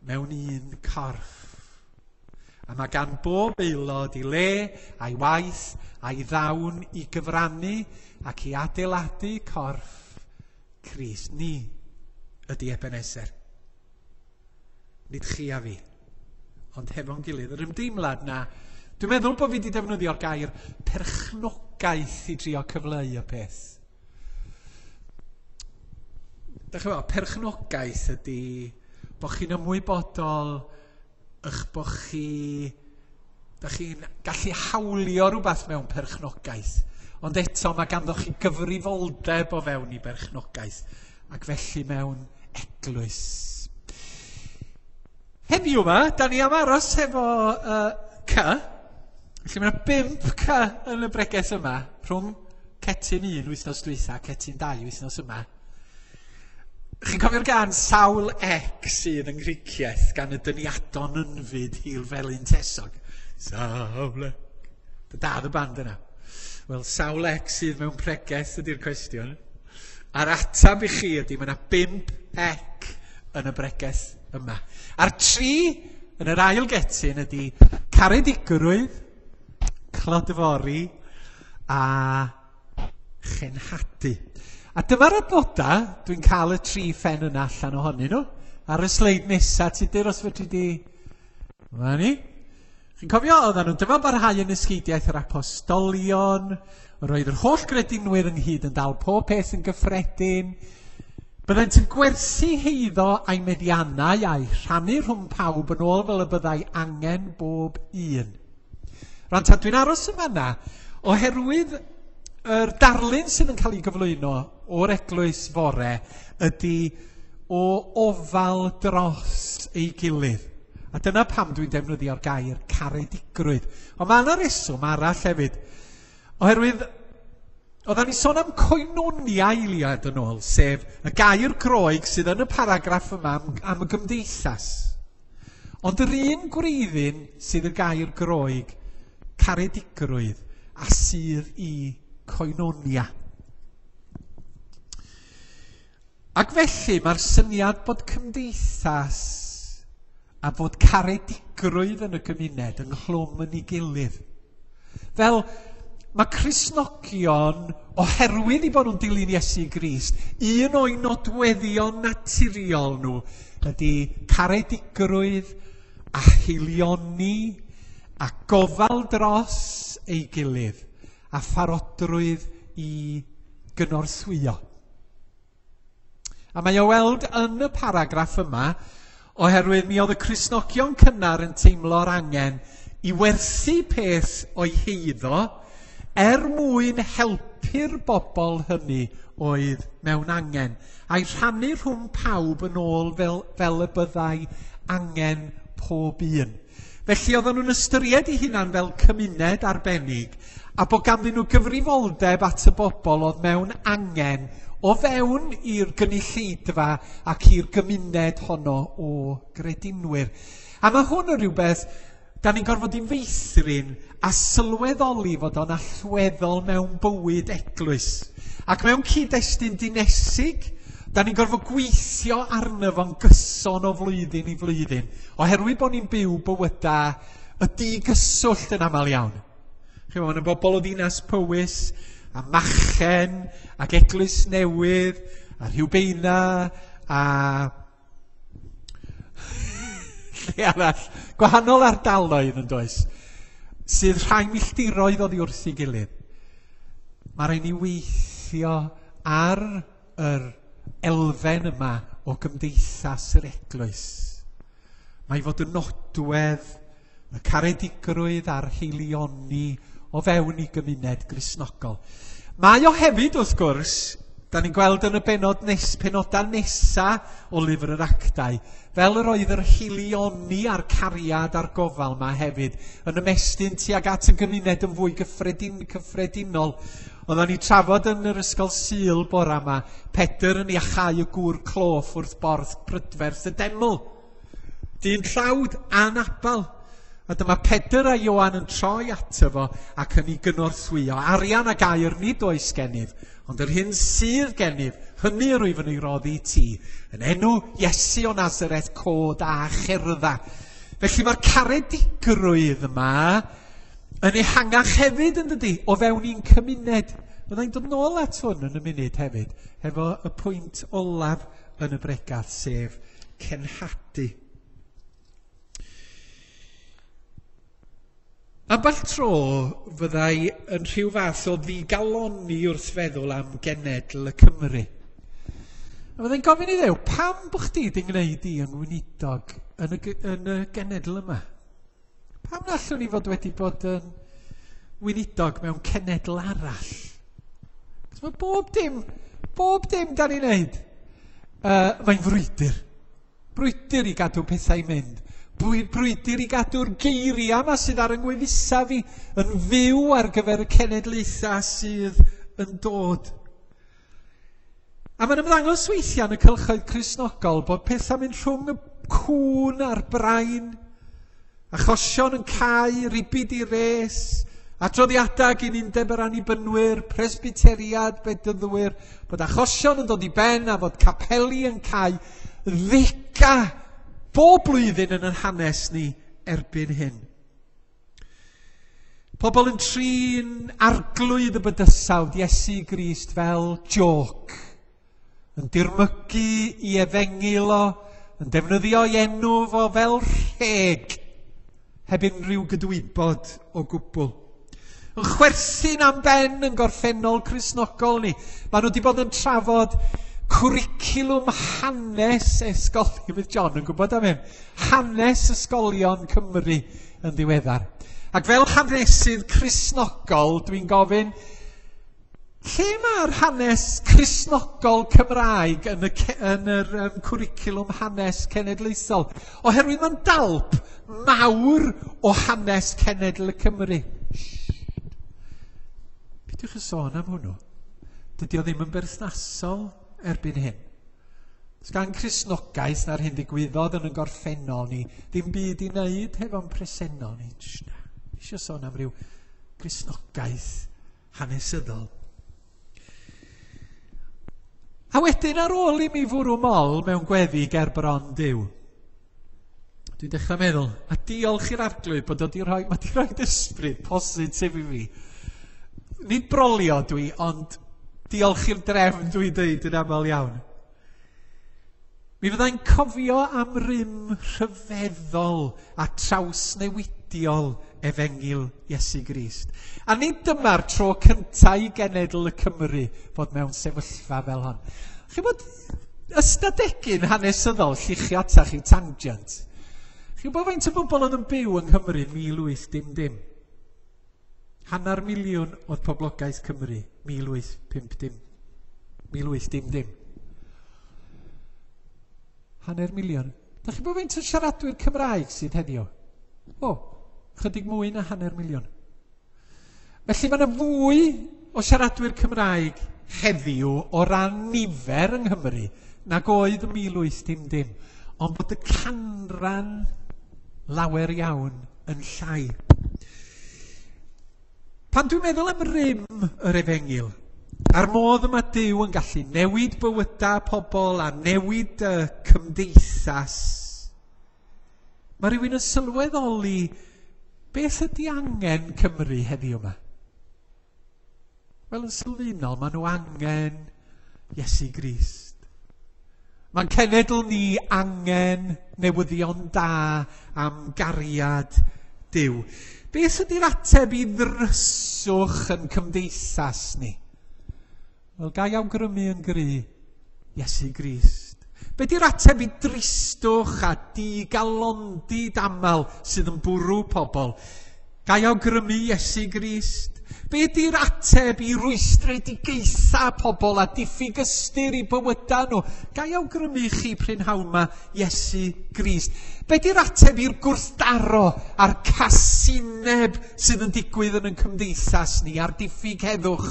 mewn un corff. A mae gan bob aelod ei le, a'i waith, a'i ddawn i gyfrannu ac i adeiladu corff Crist. Ni ydy Ebenezer. Nid chi a fi, ond hefo'n gilydd. Yr ymdeimlad na, dwi'n meddwl bod fi wedi defnyddio'r gair perchnogaeth i drio cyfleu y peth. Dach chi'n gwybod, perchnogaeth ydy bod chi'n ymwybodol eich bod chi, dach chi'n gallu hawlio rhywbeth mewn perchnogaeth, ond eto mae ganddo chi gyfrifoldeb o fewn i berchnogaeth, ac felly mewn eglwys. Heddiw yma, da ni am aros efo uh, C. Felly mae yna bump C yn y bregeth yma, rhwng cetyn un wythnos dwytha, cetyn dau wythnos yma. Chi'n cofio'r gan sawl ec sydd yng Nghricieth gan y dyniadon ynfyd hil felyn tesog? Sawl ec. Da y band yna. Wel, sawl ec sydd mewn pregeth ydy'r cwestiwn. A'r atab i chi ydy, mae yna bump ec yn y bregeth yma. A'r tri yn yr ail getyn ydy caredigrwydd, clodfori a chenhadu. A dyma'r adnodau, dwi'n cael y tri phen yna allan ohonyn nhw. Ar y sleid nesaf, Tudur, os fedri di... Dyma ni. Chi'n cofio, oedden nhw'n dyma barhau yn ysgeidiaeth yr apostolion, roedd yr holl gredinwyr ynghyd yn dal pob peth yn gyffredin. Byddent yn gwerthu heiddo a'i meddiannau a'i rhannu rhwng pawb yn ôl fel y byddai angen bob un. Rwan ta, dwi'n aros yn fanna oherwydd yr darlun sydd yn cael ei gyflwyno o'r eglwys fore ydy o ofal dros ei gilydd. A dyna pam dwi'n defnyddio'r gair caredigrwydd. Ond mae yna reswm arall hefyd. Oherwydd, oedden ni sôn am koinonia eiliad yn ôl, sef y gair Groeg sydd yn y paragraff yma am, am y gymdeithas. Ond yr un gwreiddyn sydd y gair Groeg, caredigrwydd, a sydd i koinonia. Ac felly mae'r syniad bod cymdeithas a bod caredigrwydd yn y gymuned ynghlwm yn ei gilydd. Fel mae Cristnogion, oherwydd i bod nhw'n dilyn Iesu Grist, un o'i nodweddion naturiol nhw ydy caredigrwydd a haelioni a gofal dros ei gilydd a pharodrwydd i gynorthwyo. A mae o weld yn y paragraff yma, oherwydd mi oedd y Cristnogion cynnar yn teimlo'r angen i werthu peth o'i heiddo er mwyn helpu'r bobl hynny oedd mewn angen, a'i rhannu rhwng pawb yn ôl fel, fel y byddai angen pob un. Felly oedden nhw'n ystyried eu hunan fel cymuned arbennig, a bod ganddyn nhw gyfrifoldeb at y bobl oedd mewn angen o fewn i'r gynulleidfa ac i'r gymuned honno o gredinwyr. A mae hwn yn rhywbeth da ni'n gorfod i feithrin a sylweddoli fod o'n allweddol mewn bywyd eglwys. Ac mewn cyd-destun dinesig, da ni'n gorfod gweithio arno fo'n gyson o flwyddyn i flwyddyn, oherwydd bod ni'n byw bywydau y digyswllt yn aml iawn. Chi'n gwybod, mae yna bobl o ddinas Powys, a Machen, ac Eglwys Newydd, a Rhiwbeina, a lle arall, gwahanol ardaloedd yn does, sydd rhai milltiroedd oddi wrth ei gilydd. Mae rhaid ni weithio ar yr elfen yma o gymdeithas yr eglwys. Mae fod yn nodwedd y caredigrwydd a'r haelioni o fewn i gymuned Gristnogol. Mae o hefyd, wrth gwrs, da ni'n gweld yn y benod nes, penodau nesa o Lyfr yr Actau, fel yr oedd yr haelioni a'r cariad a'r gofal yma hefyd, yn ymestyn tuag at y gymuned yn fwy gyffredin, cyffredinol. Oedden ni trafod yn yr ysgol Sul bora yma, Pedr yn iachau y gŵr cloff wrth borth prydferth y deml. Dyn tlawd anabal. A dyma Pedr a Ioan yn troi ato fo ac yn ei gynorthwyo. Arian ac aur nid oes gennyf, ond yr hyn sydd gennyf, hynny yr wyf yn ei roddi i ti. Yn enw Iesu o Nazareth, cod a cherdda. Felly mae'r caredigrwydd yma yn ehangach hefyd, yn dydi, o fewn un cymuned. Byddai'n dod nôl at hwn yn y munud hefyd, hefo y pwynt olaf yn y bregath, sef cenhadu. Ambell tro fyddai yn rhyw fath o ddigalonni wrth feddwl am genedl y Cymru. A fyddai'n gofyn i Ddew, pam bo chdi di gwneud i yn weinidog yn y, yn y genedl yma? Pam na allwn ni fod wedi bod yn weinidog mewn cenedl arall? Cos mae bob dim, bob dim da ni'n neud, uh, mae'n frwydr. Brwydr i gadw pethau i mynd. Brwydr i gadw'r geiriau yma sydd ar yng ngwefusau fi yn fyw ar gyfer y cenedlaethau sydd yn dod. A mae'n ymddangos weithiau yn y cylchoedd Cristnogol bod pethau'n mynd rhwng y cŵn a'r brain, achosion yn cau, ribid i res, adroddiadau gyn undeb yr Annibynwyr, Presbyteriad, Bedyddwyr, bod achosion yn dod i ben a bod capeli yn cau, ddega bob blwyddyn yn ein hanes ni erbyn hyn. Pobl yn trin arglwydd y bydysawd Iesu Grist fel jôc, yn dirmygu i efengyl o, yn defnyddio ei enw fo fel rheg, heb unrhyw gydwybod o gwbl. Yn chwerthin am ben yn gorffennol Cristnogol ni. Maen nhw wedi bod yn trafod cwricwlwm hanes ysgolion, bydd John yn gwybod am hyn, hanes ysgolion Cymru yn ddiweddar. Ac fel hanesydd Cristnogol, dwi'n gofyn, lle mae'r hanes Cristnogol Cymraeg yn y, yn yr um, cwricwlwm hanes cenedlaethol? Oherwydd mae'n dalp mawr o hanes cenedl y Cymru. Peidiwch yn sôn am hwnnw. Dydy o ddim yn berthnasol erbyn hyn. Does gan Cristnogaeth na'r hyn ddigwyddodd yn y gorffennol ni ddim byd i wneud hefo'n presennol ni. Na, eisiau sôn am ryw Cristnogaeth hanesyddol. A wedyn ar ôl i mi fwrw mol mewn gweddi ger bron Duw, dwi'n dechrau meddwl, a diolch i'r Arglwydd bod o di rhoi, mae di rhoi ysbryd positif i fi. Nid brolio dwi, ond diolch i'r drefn dwi'n dweud yn aml iawn. Mi fyddai'n cofio am rym rhyfeddol a trawsnewidiol efengyl Iesu Grist. A nid dyma'r tro cyntaf i genedl y Cymru fod mewn sefyllfa fel hon. Chi'n bod ystadegyn hanesyddol lluchio atach i tangent. Chi'n bod faint o bobl oedd yn byw yng Nghymru mil wyth dim dim? Hanner miliwn oedd poblogaeth Cymru mil wyth pump dim. mil wyth dim dim. Hanner miliwn. Da chi'n bod faint o siaradwyr Cymraeg sydd heddiw? O, chydig mwy na hanner miliwn. Felly mae yna fwy o siaradwyr Cymraeg heddiw o ran nifer yng Nghymru nag oedd ym mil wyth dim dim, ond bod y canran lawer iawn yn llai. Pan dwi'n meddwl am rym yr efengyl, a'r modd yma Duw yn gallu newid bywydau pobl a newid y cymdeithas, mae rhywun yn sylweddoli beth ydy angen Cymru heddiw yma. Wel, yn sylfaenol, maen nhw angen Iesu Grist. Mae'n cenedl ni angen newyddion da am gariad Duw. Beth ydy'r ateb i ddryswch yn cymdeithas ni? Wel, ga i awgrymu yn gry, Iesu Grist. Be di'r ateb i dristwch a digalondid aml sydd yn bwrw pobl? Ga i awgrymu Iesu Grist? Be di'r ateb i rwystredigaethau pobl a diffyg ystyr i bywydau nhw? Ga i awgrymu chi prynhawn ma Iesu Grist? Be di'r ateb i'r gwrthdaro a'r casineb sydd yn digwydd yn ein cymdeithas ni a'r diffyg heddwch?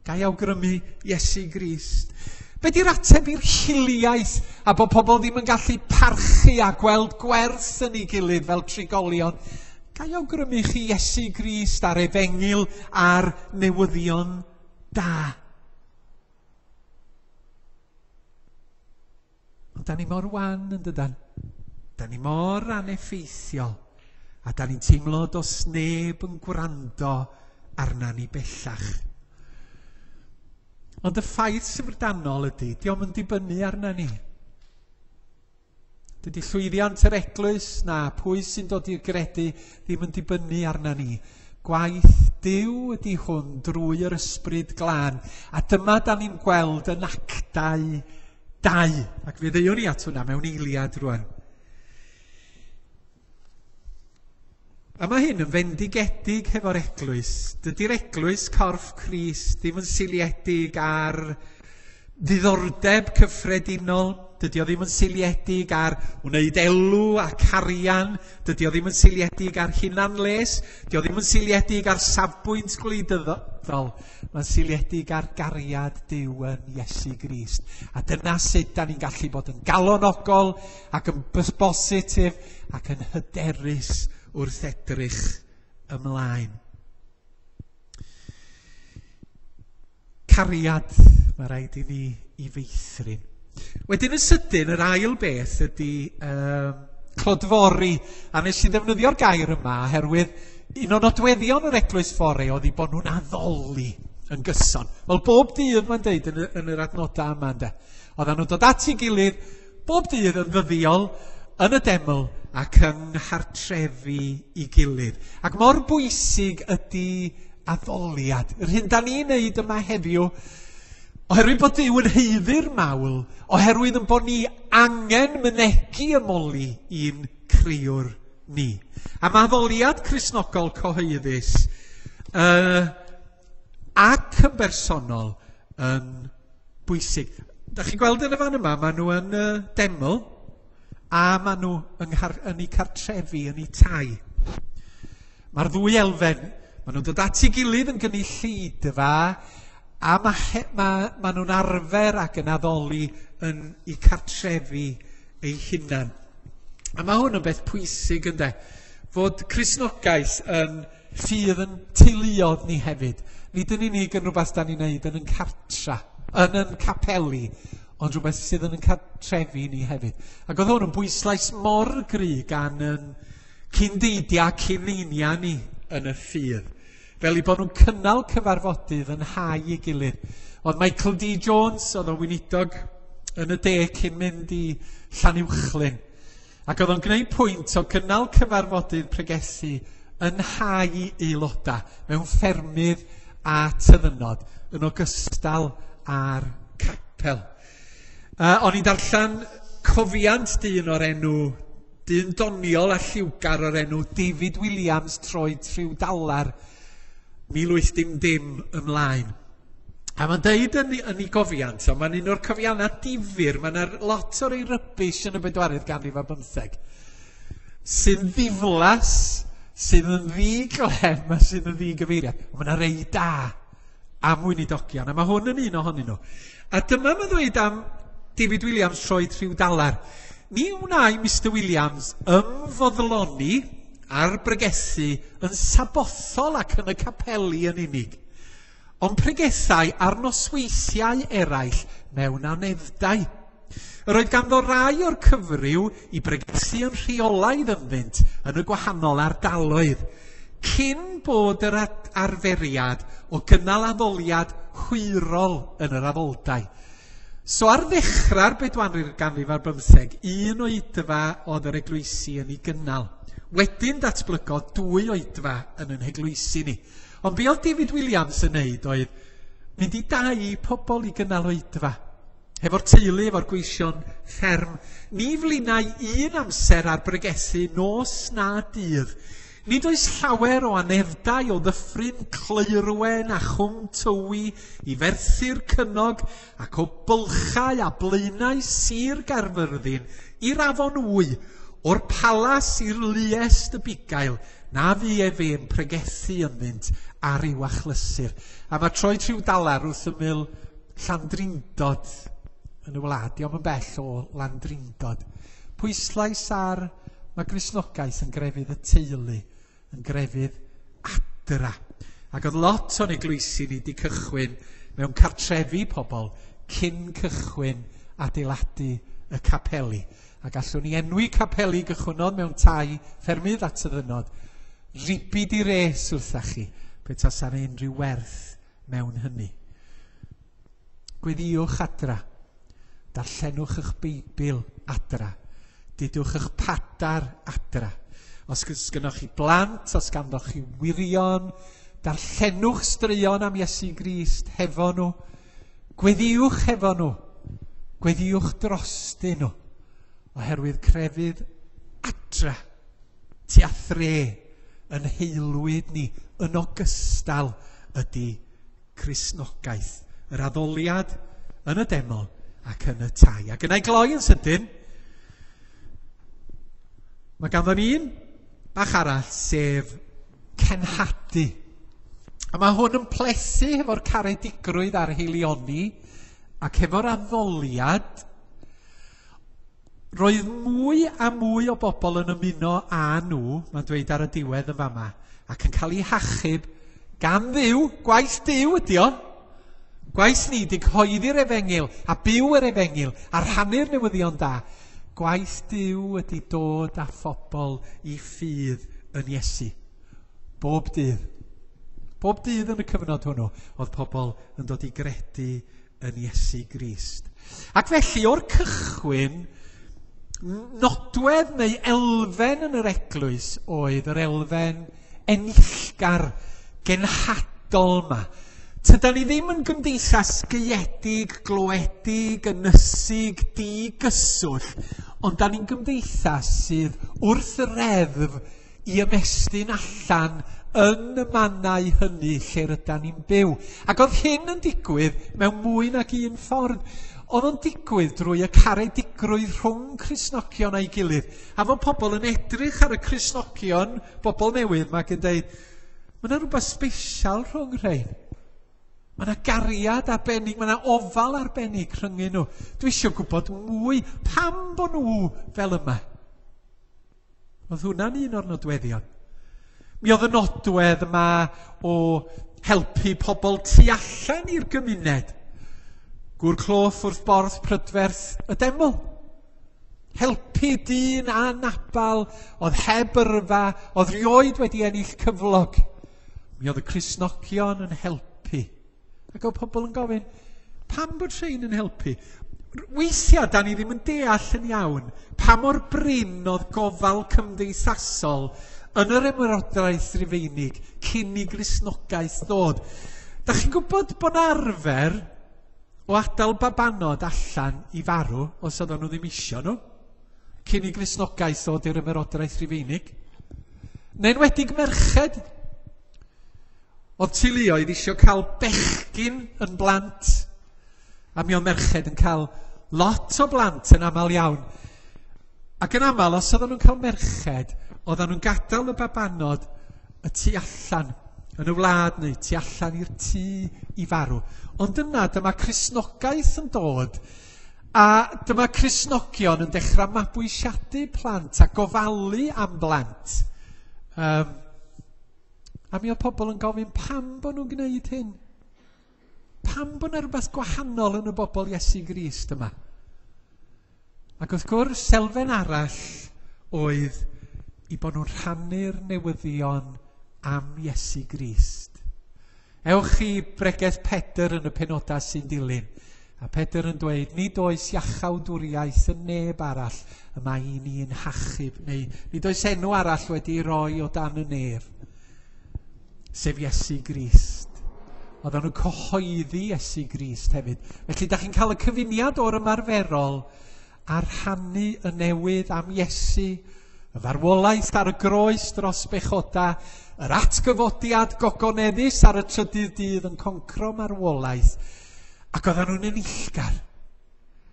Ga i awgrymu Iesu Grist? Be di'r ateb i'r hiliaeth a bod pobl ddim yn gallu parchu a gweld gwerth yn ei gilydd fel trigolion? Ga i awgrymu chi Iesu Grist a'r efengyl a'r newyddion da? Ond da ni mor wan yn dydan. Da ni mor aneffeithiol. A da ni'n teimlo does neb yn gwrando arna ni bellach. Ond y ffaith syfrdanol ydy, dio'm yn dibynnu arna ni. Dydy llwyddiant yr eglwys na pwy sy'n dod i'r gredu ddim yn dibynnu arna ni. Gwaith Duw ydy hwn drwy yr ysbryd glân. A dyma da ni'n gweld yn Actau dau. Ac fe ddeuwn ni at hwnna mewn eiliad rwan. A mae hyn yn fendigedig hefo'r eglwys. Dydy'r eglwys corff Crist ddim yn seiliedig ar ddiddordeb cyffredinol. Dydy o ddim yn seiliedig ar wneud elw a carian. Dydy o ddim yn seiliedig ar hunanles. Dydy o ddim yn seiliedig ar safbwynt gwleidyddol. Mae'n seiliedig ar gariad Duw yn Iesu Grist. A dyna sut da ni'n gallu bod yn galonogol ac yn bositif ac yn hyderus wrth edrych ymlaen. Cariad, mae rhaid i ni i feithrin. Wedyn yn sydyn, yr ail beth ydy um, clodfori. A nes i ddefnyddio'r gair yma oherwydd un o nodweddion yr eglwys fore oedd i bod nhw'n addoli yn gyson. Wel, bob dydd mae'n deud yn, yn yr adnodau yma, ynde. Oedden nhw'n dod at ei gilydd bob dydd yn ddyddiol yn y deml ac yng nghartrefi i gilydd. Ac mor bwysig ydy addoliad. Yr hyn da ni'n neud yma heddiw, oherwydd bod Duw yn haeddu'r mawl, oherwydd yn bod ni angen mynegi ymoli i'n crëwr ni. A mae addoliad Cristnogol cyhoeddus uh, ac yn bersonol yn bwysig. Da chi'n gweld yn y fan yma, maen nhw yn uh, deml a maen nhw yng nghar- yn eu cartrefi, yn eu tai. Mae'r ddwy elfen, maen nhw'n dod at ei gilydd yn gynulleidfa, a mae ma, ma nhw'n arfer ac yn addoli yn eu cartrefi eu hunan. A mae hwn yn beth pwysig, ynde, fod Cristnogaeth yn ffydd yn teuluodd ni hefyd. Nid yn unig yn rhywbeth da ni'n neud yn yn cartra, yn yn capeli, ond rhywbeth sydd yn yn cartrefi ni hefyd. Ac oedd hwn yn bwyslais mor gry gan yn cyndeidia, cyneinia ni yn y ffydd. Fel i bod nhw'n cynnal cyfarfodydd yn hau ei gilydd. Oedd Michael D. Jones, oedd o'n weinidog yn y de cyn mynd i Llanuwchllyn. Ac oedd o'n gwneud pwynt o gynnal cyfarfodydd pregethu yn hau aelodau mewn ffermydd a tyddynod yn ogystal â'r capel. Uh, o'n i'n darllen cofiant dyn o'r enw, dyn doniol a lliwgar o'r enw David Williams Troed Rhyw Dalar, mil wyth dim dim ymlaen. A mae'n deud yn, yn ei gofiant, ond mae'n un o'r cofiannau difyr, mae'n lot o'r ei rybish yn y bedwaredd ganrif a bymtheg, sy'n ddiflas, sydd yn ddiglem a sydd yn ddigyfeiriad. Ond mae'n rei da am weinidogion, a mae hwn yn un ohonyn nhw. A dyma mae'n dweud am David Williams Troed Rhyw Dalar. Ni wnai Mister Williams ymfoddloni a'r bregethu yn sabothol ac yn y capeli yn unig, ond pregethau ar nosweithiau eraill mewn aneddau. Yr oedd ganddo rai o'r cyfryw i bregethu yn rheolaidd ynddynt yn y gwahanol ardaloedd, cyn bod yr arferiad o gynnal addoliad hwyrol yn yr addoldai. So ar ddechrau'r bedwaredd ganrif ar bymtheg, un oedfa oedd yr eglwysi yn ei gynnal. Wedyn datblygodd dwy oedfa yn yn heglwysi ni. Ond be oedd David Williams yn neud oedd mynd i dau pobl i gynnal oedfa. Hefo'r teulu, efo'r gweision fferm. Ni flinai un amser ar bregethu nos na dydd. Nid oes llawer o aneddau o ddyffryn Cleurwen a Chwm Tywi i Ferthyr Cynog ac o bylchau a blaenau Sir Gaerfyrddin i'r Afon Wy, o'r palas i'r Luest y Bugail, na fu efe'n pregethu ynddynt ar i'w achlysur. A mae troi rhyw dalar wrth ymyl Llandrindod yn y wlad, diolch yn bell o Landrindod. Pwyslais ar mae Gristnogaeth yn grefydd y teulu, yn grefydd adra. Ac oedd lot o'n eglwysi ni wedi cychwyn mewn cartrefi pobl cyn cychwyn adeiladu y capeli. A gallwn ni enwi capeli gychwynnodd mewn tai ffermydd at y ddynod. Ribid i res wrtha chi, pe tasa'n unrhyw werth mewn hynny. Gweddïwch adra, darllenwch eich Beibl adra, dudwch eich padar adra. Os gynnoch chi blant, os ganddoch chi wirion, darllenwch straeon am Iesu Grist hefo nhw, gweddïwch hefo nhw, gweddïwch drostyn nhw, oherwydd crefydd adra, tua thre, yn heilwyd ni, yn ogystal ydy Cristnogaeth, yr addoliad yn y deml ac yn y tai. Ac yna i gloi yn sydyn, mae ganddo ni un bach arall, sef cenhadu. A mae hwn yn plethu hefo'r caredigrwydd a'r heilioni ac hefo'r addoliad. Roedd mwy a mwy o bobl yn ymuno â nhw, mae'n dweud ar y diwedd yn fama, ac yn cael eu hachub gan Dduw, gwaith Duw ydi o. Gwaith ni di cyhoeddi'r efengyl a byw yr efengyl a rhannu'r newyddion da. Gwaith Duw ydi dod â phobl i ffydd yn Iesu. Bob dydd. Bob dydd yn y cyfnod hwnnw oedd pobl yn dod i gredu yn Iesu Grist. Ac felly o'r cychwyn, nodwedd neu elfen yn yr eglwys oedd yr elfen enillgar, genhadol yma. Tydan ni ddim yn gymdeithas gaeedig, gloedig, ynysig, digyswllt, ond da ni'n gymdeithas sydd wrth y reddf i ymestyn allan yn y mannau hynny lle rydan ni'n byw. Ac oedd hyn yn digwydd mewn mwy nag un ffordd. Oedd o'n digwydd drwy y caredigrwydd rhwng Cristnogion a'i gilydd. A fod pobl yn edrych ar y Cristnogion, bobl newydd, mae yn dweud, mae yna rhywbeth special rhwng rhain. Mae yna gariad arbennig, mae yna ofal arbennig rhyngyn nhw. Dwi eisiau gwybod mwy pam bod nhw fel yma. Oedd hwnna'n un o'r nodweddion. Mi oedd y nodwedd yma o helpu pobl tu allan i'r gymuned. Gŵr cloff wrth borth prydferth y deml. Helpu dyn anabal oedd heb yrfa, oedd rioed wedi ennill cyflog. Mi oedd y Cristnogion yn helpu. Ac oedd pobl yn gofyn, pam bod rhain yn helpu? Weithiau, da ni ddim yn deall yn iawn pa mor brin oedd gofal cymdeithasol yn yr ymerodraeth Rufeinig cyn i Gristnogaeth ddod. Da chi'n gwybod bod arfer o adael babanod allan i farw, os oedden nhw ddim isio nhw, cyn i Gristnogaeth ddod i'r ymerodraeth Rufeinig? Neu'n enwedig merched. Oedd teuluoedd isio cael bechgyn yn blant, a mi oedd merched yn cael lot o blant yn aml iawn. Ac yn aml, os oedden nhw'n cael merched, oedden nhw'n gadael y babanod y tu allan yn y wlad neu tu allan i'r tŷ i farw. Ond yna dyma Cristnogaeth yn dod, a dyma Cristnogion yn dechrau mabwysiadu plant a gofalu am blant. Um, a mi oedd pobl yn gofyn pam bod nhw'n gwneud hyn? Pam bod yna rhywbeth gwahanol yn y bobl Iesu Grist yma? Ac wrth gwrs, elfen arall oedd i bod nhw'n rhannu'r newyddion am Iesu Grist. Ewch i bregeth Pedr yn y penodau sy'n dilyn. A Pedr yn dweud, nid oes iachawdwriaeth yn neb arall y mae i ni'n hachub, neu nid oes enw arall wedi'i roi o dan y nef, sef Iesu Grist. Oedden nhw'n cyhoeddi Iesu Grist hefyd. Felly, da chi'n cael y cyfuniad o'r ymarferol a rhannu y newydd am Iesu, Y farwolaeth ar y groes dros bechoda, yr atgyfodiad gogoneddus ar y trydydd dydd yn concro marwolaeth, ac oedden nhw'n enillgar,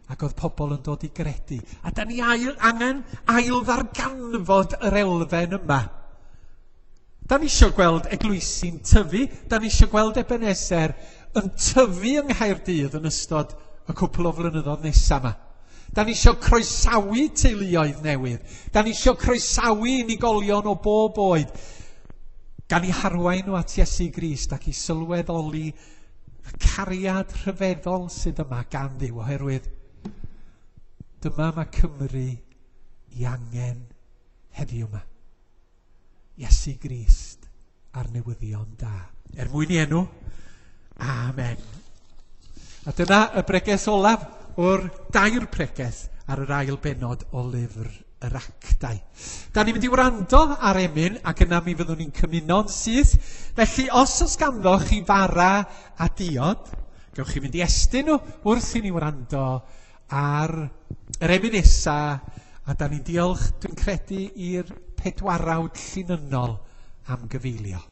ac oedd pobl yn dod i gredu. A da ni ail, angen ail ddarganfod yr elfen yma. Da ni eisiau gweld eglwysi'n tyfu, da ni eisiau gweld Ebeneser yn tyfu yng Nghaerdydd yn ystod y cwpl o flynyddoedd nesaf yma. Da ni eisiau croesawu teuluoedd newydd. Da ni eisiau croesawu unigolion o bob oed. Gan i harwain nhw at Iesu Grist ac i sylweddoli y cariad rhyfeddol sydd yma gan Dduw, oherwydd dyma mae Cymru i angen heddiw yma. Iesu Grist a'r newyddion da. Er mwyn i enw, amen. A dyna y bregeth olaf o'r dair pregeth ar yr ail bennod o lyfr yr Actau. Da ni'n mynd i wrando ar emyn ac yna mi fyddwn ni'n cymuno'n syth. Felly os oes ganddo chi fara a diod, gewch chi fynd i estyn nhw wrth i ni wrando ar yr emyn nesa, a da ni'n diolch, dwi'n credu, i'r pedwarawd llinynnol am gyfeilio.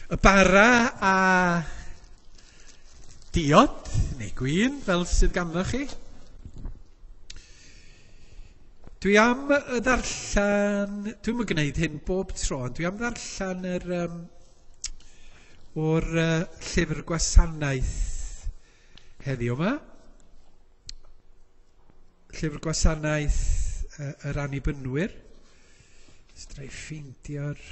Y bara a diod, neu gwin, fel sydd ganddo chi. Dwi am ddarllen, dwi'm yn gwneud hyn bob tro, ond dwi am ddarllen yr, um, o'r uh, llyfr gwasanaeth heddiw yma. Llyfr gwasanaeth uh, yr Annibynwyr. Fedra i ffeindio'r...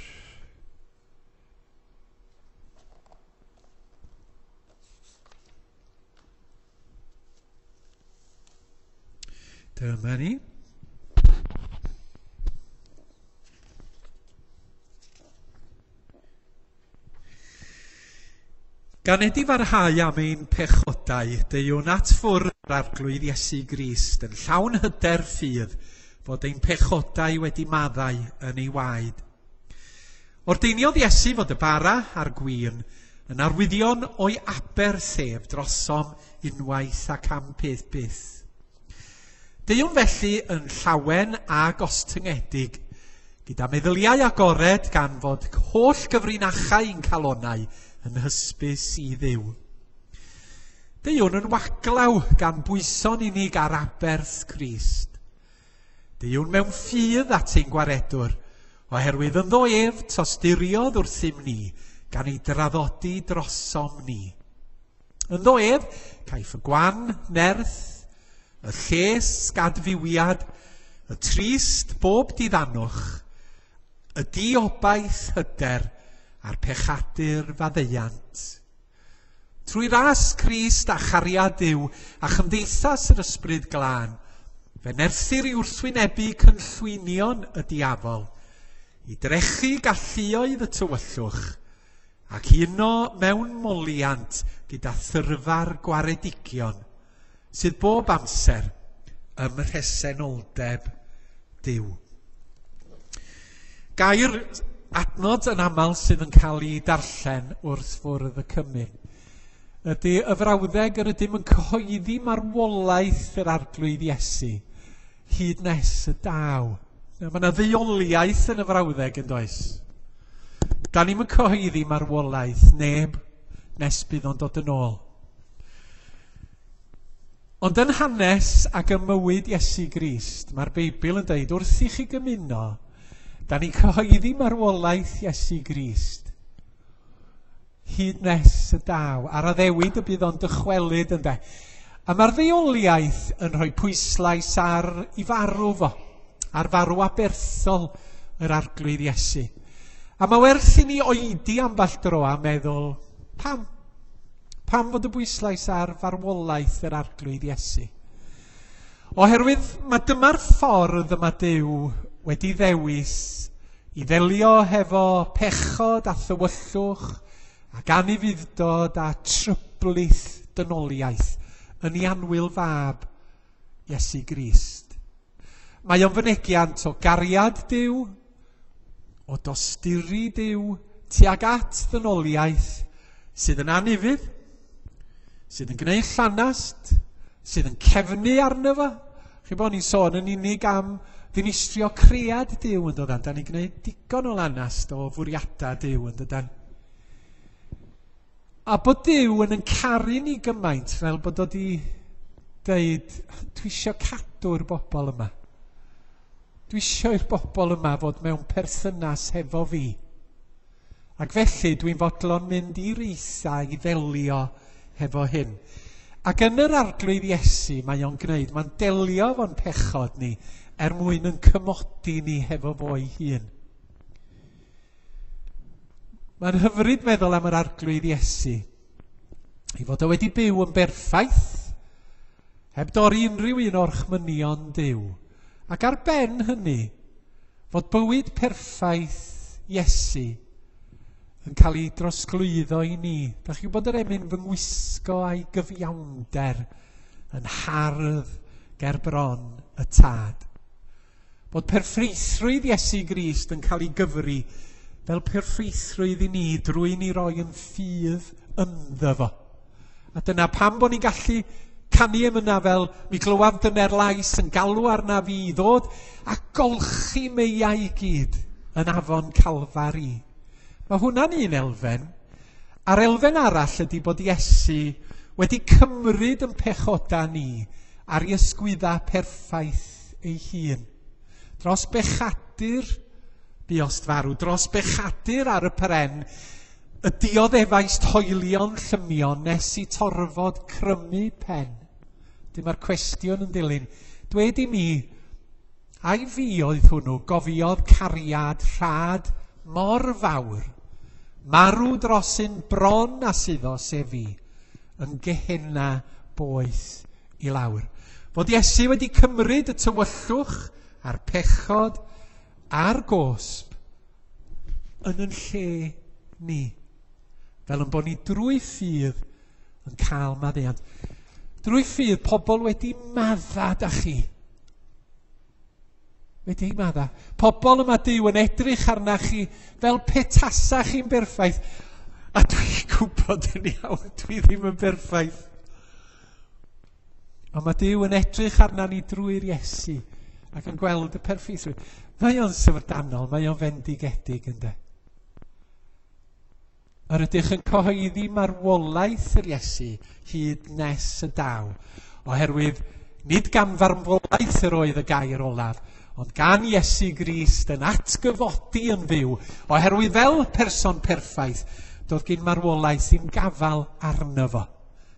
Dyma ni. Gan edifarhau am ein pechodau, deuwn at ffwrdd yr Arglwydd Iesu Grist yn llawn hyder ffydd fod ein pechodau wedi maddau yn ei waed. Ordeiniodd Iesu fod y bara a'r gwin yn arwyddion o'i aberth ef drosom unwaith ac am peth byth. Deuwn felly yn llawen a gostyngedig, gyda meddyliau agored gan fod holl gyfrinachau ein calonau yn hysbys i Dduw. Deuwn yn waglaw gan bwyso'n unig ar aberth Crist. Deuwn mewn ffydd at ein gwaredwr, oherwydd ynddo ef tosturiodd wrthym ni, gan ei draddodi drosom ni. Ynddo ef, caiff y gwan nerth, y lles gadfywiad, y trist bob diddanwch, y diobaith hyder a'r pechadur faddeuant. Trwy ras Crist a chariad Duw a chymdeithas yr Ysbryd Glân, fe nerthir i wrthwynebu cynllwynion y diafol, i drechu galluoedd y tywyllwch, ac uno mewn moliant gyda thyrfa'r gwaredigion, sydd bob amser ym mhresenoldeb Duw. Gair adnod yn aml sydd yn cael ei darllen wrth fwrdd y cymun ydy y frawddeg yr ydym yn cyhoeddi marwolaeth yr Arglwydd Iesu hyd nes y daw. Mae yna ddeuoliaeth yn y frawddeg yn does? Da ni'm yn cyhoeddi marwolaeth neb nes bydd o'n dod yn ôl. Ond yn hanes ac ym mywyd Iesu Grist, mae'r Beibl yn dweud wrth i chi gymuno, da ni'n cyhoeddi marwolaeth Iesu Grist hyd nes y daw, a'r addewid y bydd o'n dychwelyd ynde. A mae'r ddeuoliaeth yn rhoi pwyslais ar i farw fo, ar farw aberthol yr Arglwydd Iesu. A mae werth i ni oedi ambell dro a meddwl, pam? Pam fod y bwyslais ar farwolaeth yr Arglwydd Iesu? Oherwydd mae dyma'r ffordd yma Duw wedi ddewis i ddelio hefo pechod a thywyllwch ac anufudd-dod a tryblith dynoliaeth yn ei annwyl fab Iesu Grist. Mae o'n fynegiant o gariad Duw, o dosturi Duw tuag at ddynoliaeth sydd yn anufudd, sydd yn gwneud llanast, sydd yn cefnu arno fo. Chi bod ni'n sôn yn unig am ddinistrio cread Duw yn dodan. Da ni'n gwneud digon o lanast o fwriadau Duw yn dodan. A bod Duw yn yn caru ni gymaint fel bod o di dweud, dwi isio cadw'r bobl yma. Dwi isio i'r bobl yma fod mewn perthynas hefo fi. Ac felly dwi'n fodlon mynd i reitha i ddelio hefo hyn. Ac yn yr Arglwydd Iesu mae o'n gwneud, mae'n delio efo'n pechod ni er mwyn yn cymodi ni hefo fo'i hun. Mae'n hyfryd meddwl am yr Arglwydd Iesu. I fod o wedi byw yn berffaith, heb dorri unrhyw un o'r orchmynion Duw. Ac ar ben hynny, fod bywyd perffaith Iesu yn cael ei drosglwyddo i ni. Da chi'n gwybod yr emyn fy ngwisgo a'i gyfiawnder yn hardd ger bron y tad. Bod perffeithrwydd Iesu Grist yn cael ei gyfri fel perffeithrwydd i ni drwy ni roi yn ffydd ynddo fo. A dyna pam bod ni'n gallu canu emyna fel mi glywaf dyner lais yn galw arna fi i ddod a golchi meiau i gyd yn afon Calfari. Mae hwnna'n un elfen. A'r elfen arall ydy bod Iesu wedi cymryd yn pechoda ni ar ei ysgwydda perffaith ei hun. Dros bechadur buost farw, dros bechadur ar y pren, y dioddefaist hoelion llymion nes i torfod crymu pen. Dyma'r cwestiwn yn dilyn. Dwed i mi, ai fi oedd hwnnw gofiodd cariad rhad mor fawr, marw dros un bron a suddo sef fi, yn Gehenna boeth i lawr. Fod Iesu wedi cymryd y tywyllwch a'r pechod a'r gosb yn yn lle ni, fel yn bod ni drwy ffydd yn cael maddeuant. Drwy ffydd pobl wedi madda da chi. Wedi madda. Pobl yma Duw yn edrych arna chi fel petasa chi'n berffaith. A dwi'n gwybod yn iawn, dwi ddim yn berffaith. Ond mae Duw yn edrych arna ni drwy'r Iesu ac yn gweld y perffeithrwydd. Mae o'n syfrdanol, mae o'n fendigedig ynde. Yr ydych yn cyhoeddi marwolaeth yr Iesu hyd nes y daw, oherwydd nid gan farwolaeth yr oedd y gair olaf, Ond gan Iesu Grist yn atgyfodi yn fyw, oherwydd fel person perffaith, doedd gyn marwolaeth ddim gafal arno fo.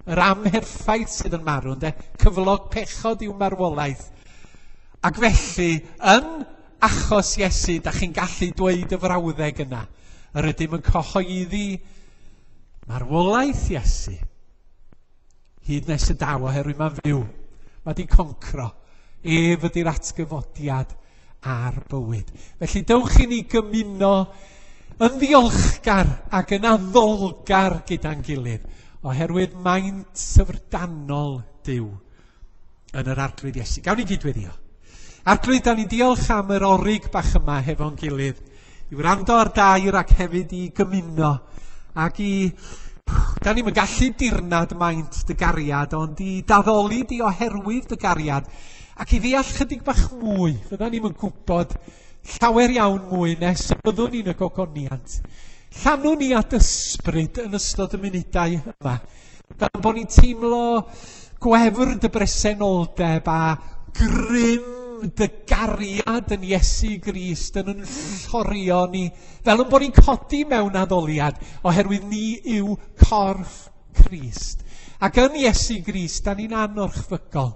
Yr amherffaith sydd yn marw, ynde? Cyflog pechod yw marwolaeth. Ac felly, yn achos Iesu, da chi'n gallu dweud y frawddeg yna. Yr ydym yn cyhoeddi marwolaeth Iesu. Hyd nes y daw, oherwydd mae'n fyw. Mae di concro. Ef ydy'r atgyfodiad a'r bywyd. Felly dewch i ni gymuno yn ddiolchgar ac yn addolgar gyda'n gilydd, oherwydd maint syfrdanol Duw yn yr Arglwydd Iesu. Gawn ni gydweddio. Arglwydd, da ni'n diolch am yr orig bach yma hefo'n gilydd, i wrando ar dair ac hefyd i gymuno, ac i... Da ni'm yn gallu dirnad maint dy gariad, ond i daddoli di oherwydd dy gariad, ac i ddeall chydig bach mwy. Fydda ni'm yn gwybod llawer iawn mwy nes y byddwn ni'n y gogoniant. Llanwn ni at ysbryd yn ystod y munudau yma, fel bod ni'n teimlo gwefr dy bresenoldeb a grym dy gariad yn Iesu Grist yn yn llorio ni, fel yn bod ni'n codi mewn addoliad, oherwydd ni yw corff Crist. Ac yn Iesu Grist, da ni'n anorchfygol.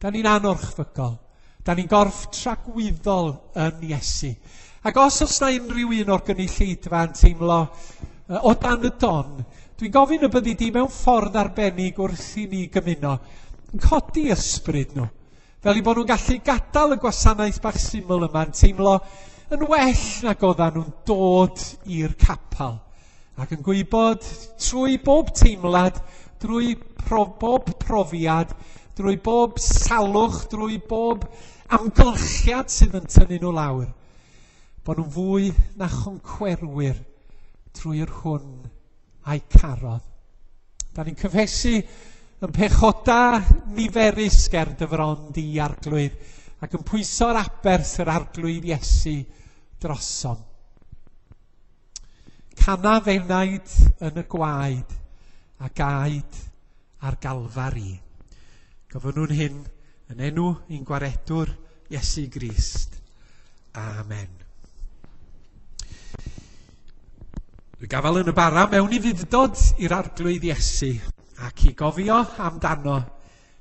Da ni'n anorchfygol. Da ni'n gorff tragwyddol yn Iesu. Ac os oes na unrhyw un o'r gynulleidfa yn teimlo o dan y don, dwi'n gofyn y byddi di mewn ffordd arbennig wrth i ni gymuno, yn codi ysbryd nhw, fel i bod nhw'n gallu gadael y gwasanaeth bach syml yma yn teimlo yn well nag oeddan nhw'n dod i'r capel, ac yn gwybod trwy bob teimlad, drwy pro, bob profiad, drwy bob salwch, drwy bob amgylchiad sydd yn tynnu nhw lawr, bod nhw'n fwy na choncwerwyr trwy'r hwn a'i carodd. Da ni'n cyfesu yn pechoda niferus ger dy fron di, Arglwydd, ac yn pwyso'r aberth yr Arglwydd Iesu drosom. Cana fenaid yn y gwaed a gaed ar Galfari. Gofynnwn hyn yn enw ein gwaredwr Iesu Grist. Amen. Dwi gafal yn y bara mewn i fuddod i'r Arglwydd Iesu, ac i gofio amdano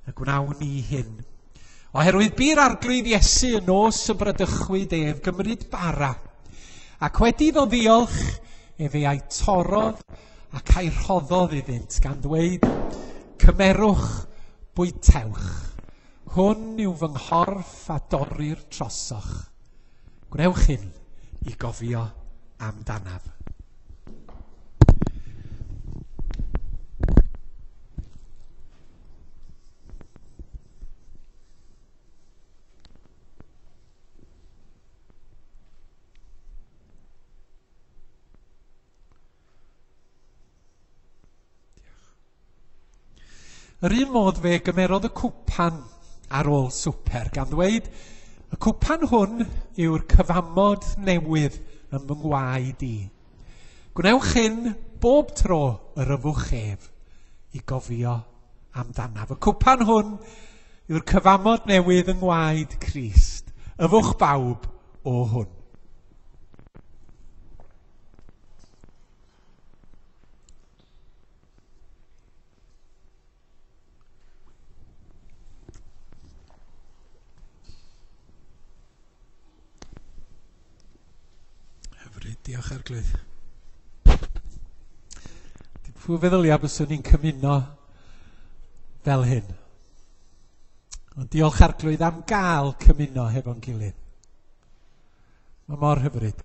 y gwnawn ni hyn. Oherwydd bu'r Arglwydd Iesu yn nos y bradychwyd ef gymryd bara, ac wedi iddo ddiolch, efe a'i torrodd ac a'i rhoddodd iddynt, gan ddweud, cymerwch, bwytewch, hwn yw fy nghorff a dorrir trosoch. Gwnewch hyn i gofio amdanaf. Yr un modd fe gymerodd y cwpan ar ôl swper, gan ddweud, y cwpan hwn yw'r cyfamod newydd yn fy ngwaed i. Gwnewch hyn bob tro yr yfwch ef i gofio amdanaf. Y cwpan hwn yw'r cyfamod newydd yng ngwaed Crist. Yfwch bawb o hwn. Diolch Arglwydd. Pwy feddylia byswn ni'n cymuno fel hyn? Ond diolch Arglwydd am gael cymuno hefo'n gilydd. Mae mor hyfryd.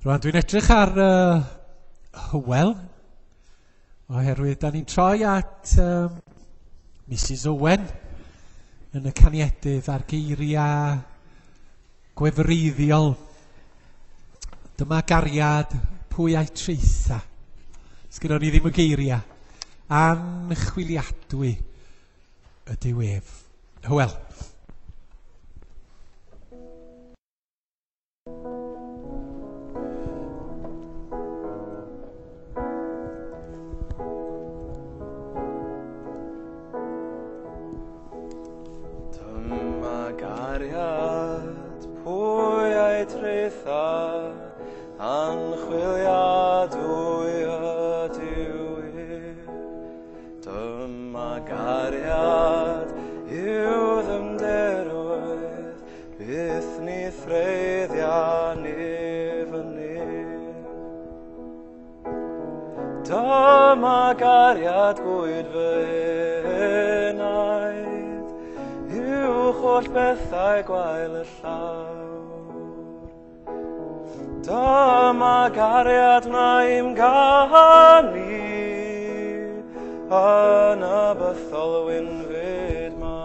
Rwan dwi'n edrych ar uh, Hywel, oherwydd da ni'n troi at um, Missus Owen yn y caniedydd a'r geiriau gwefreiddiol. Dyma gariad pwy a'i traetha. Sgynnon ni ddim y geiriau. Anchwiliadwy ydyw ef. Hywel. Dyma Dyma gariad gwyd fy enaid, uwch holl bethau gwael y llawr. Dyma gariad wna i'm ganu, yn y bythol wynfyd mawr.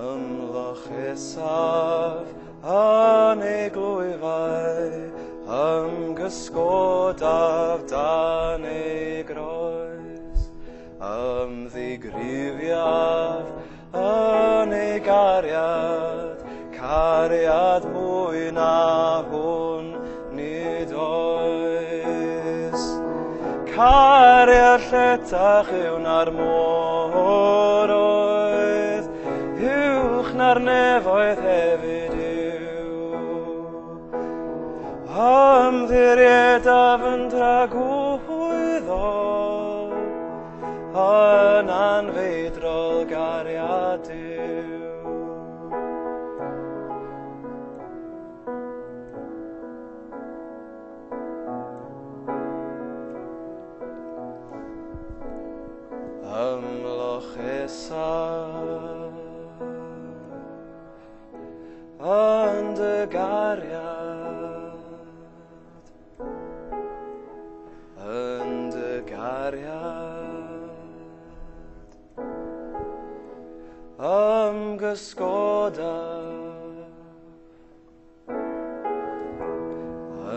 Ymlochesaf yn ei glwyfau, ymgysgodaf dan ei groes, ymddigrifiaf yn ei gariad, cariad mwy na hwn nid oes. Cariad lletach yw na'r môr oedd, uwch na'r nefoedd hefyd yw. Ymddiriedaf yn dragwyddol, yn anfeidrol gariad Duw. Ymlochesaf yn dy gariad, yn dy gariad, ymgysgodaf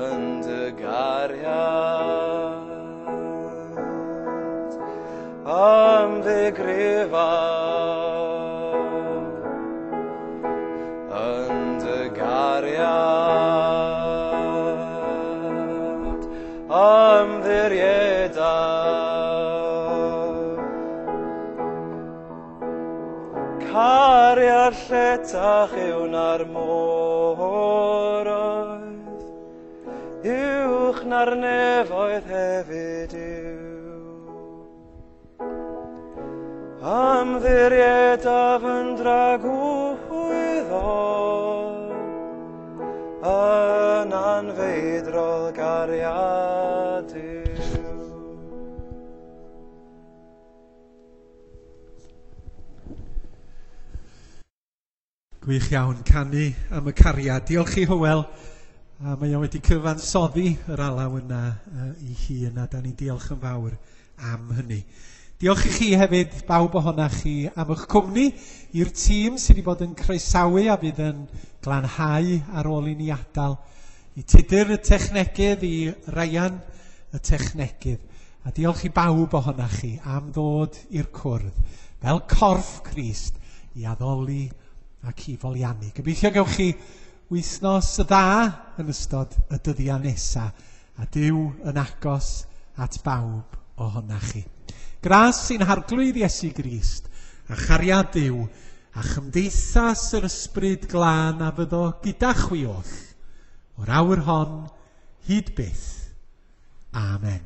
yn dy gariad, ymddigrifaf yn dy gariad, ymddiriedaf. Cariad lletach yw na'r môr oedd, uwch na'r nefoedd hefyd yw. Ymddiriedaf yn dragwyddol, yn anfeidrol gariad Duw. Gwych iawn, canu am y cariad. Diolch i Hywel, a mae o wedi cyfansoddi yr alaw yna uh, i hun, a da ni'n diolch yn fawr am hynny. Diolch i chi hefyd, bawb ohonach chi, am eich cwmni, i'r tîm sydd wedi bod yn croesawu a fydd yn glanhau ar ôl i ni adael, i Tudur y technegydd, i Ryan y technegydd. A diolch i bawb ohonach chi am ddod i'r cwrdd fel corff Crist i addoli ac i foliannu. Gobeithio gewch chi wythnos dda yn ystod y dyddiau nesaf, a Duw yn agos at bawb ohonach chi. Gras sy'n harglwydd Iesu Grist, a chariad Duw, a chymdeithas yr ysbryd glân a fyddo gyda chwi oll, o'r awr hon hyd byth. Amen.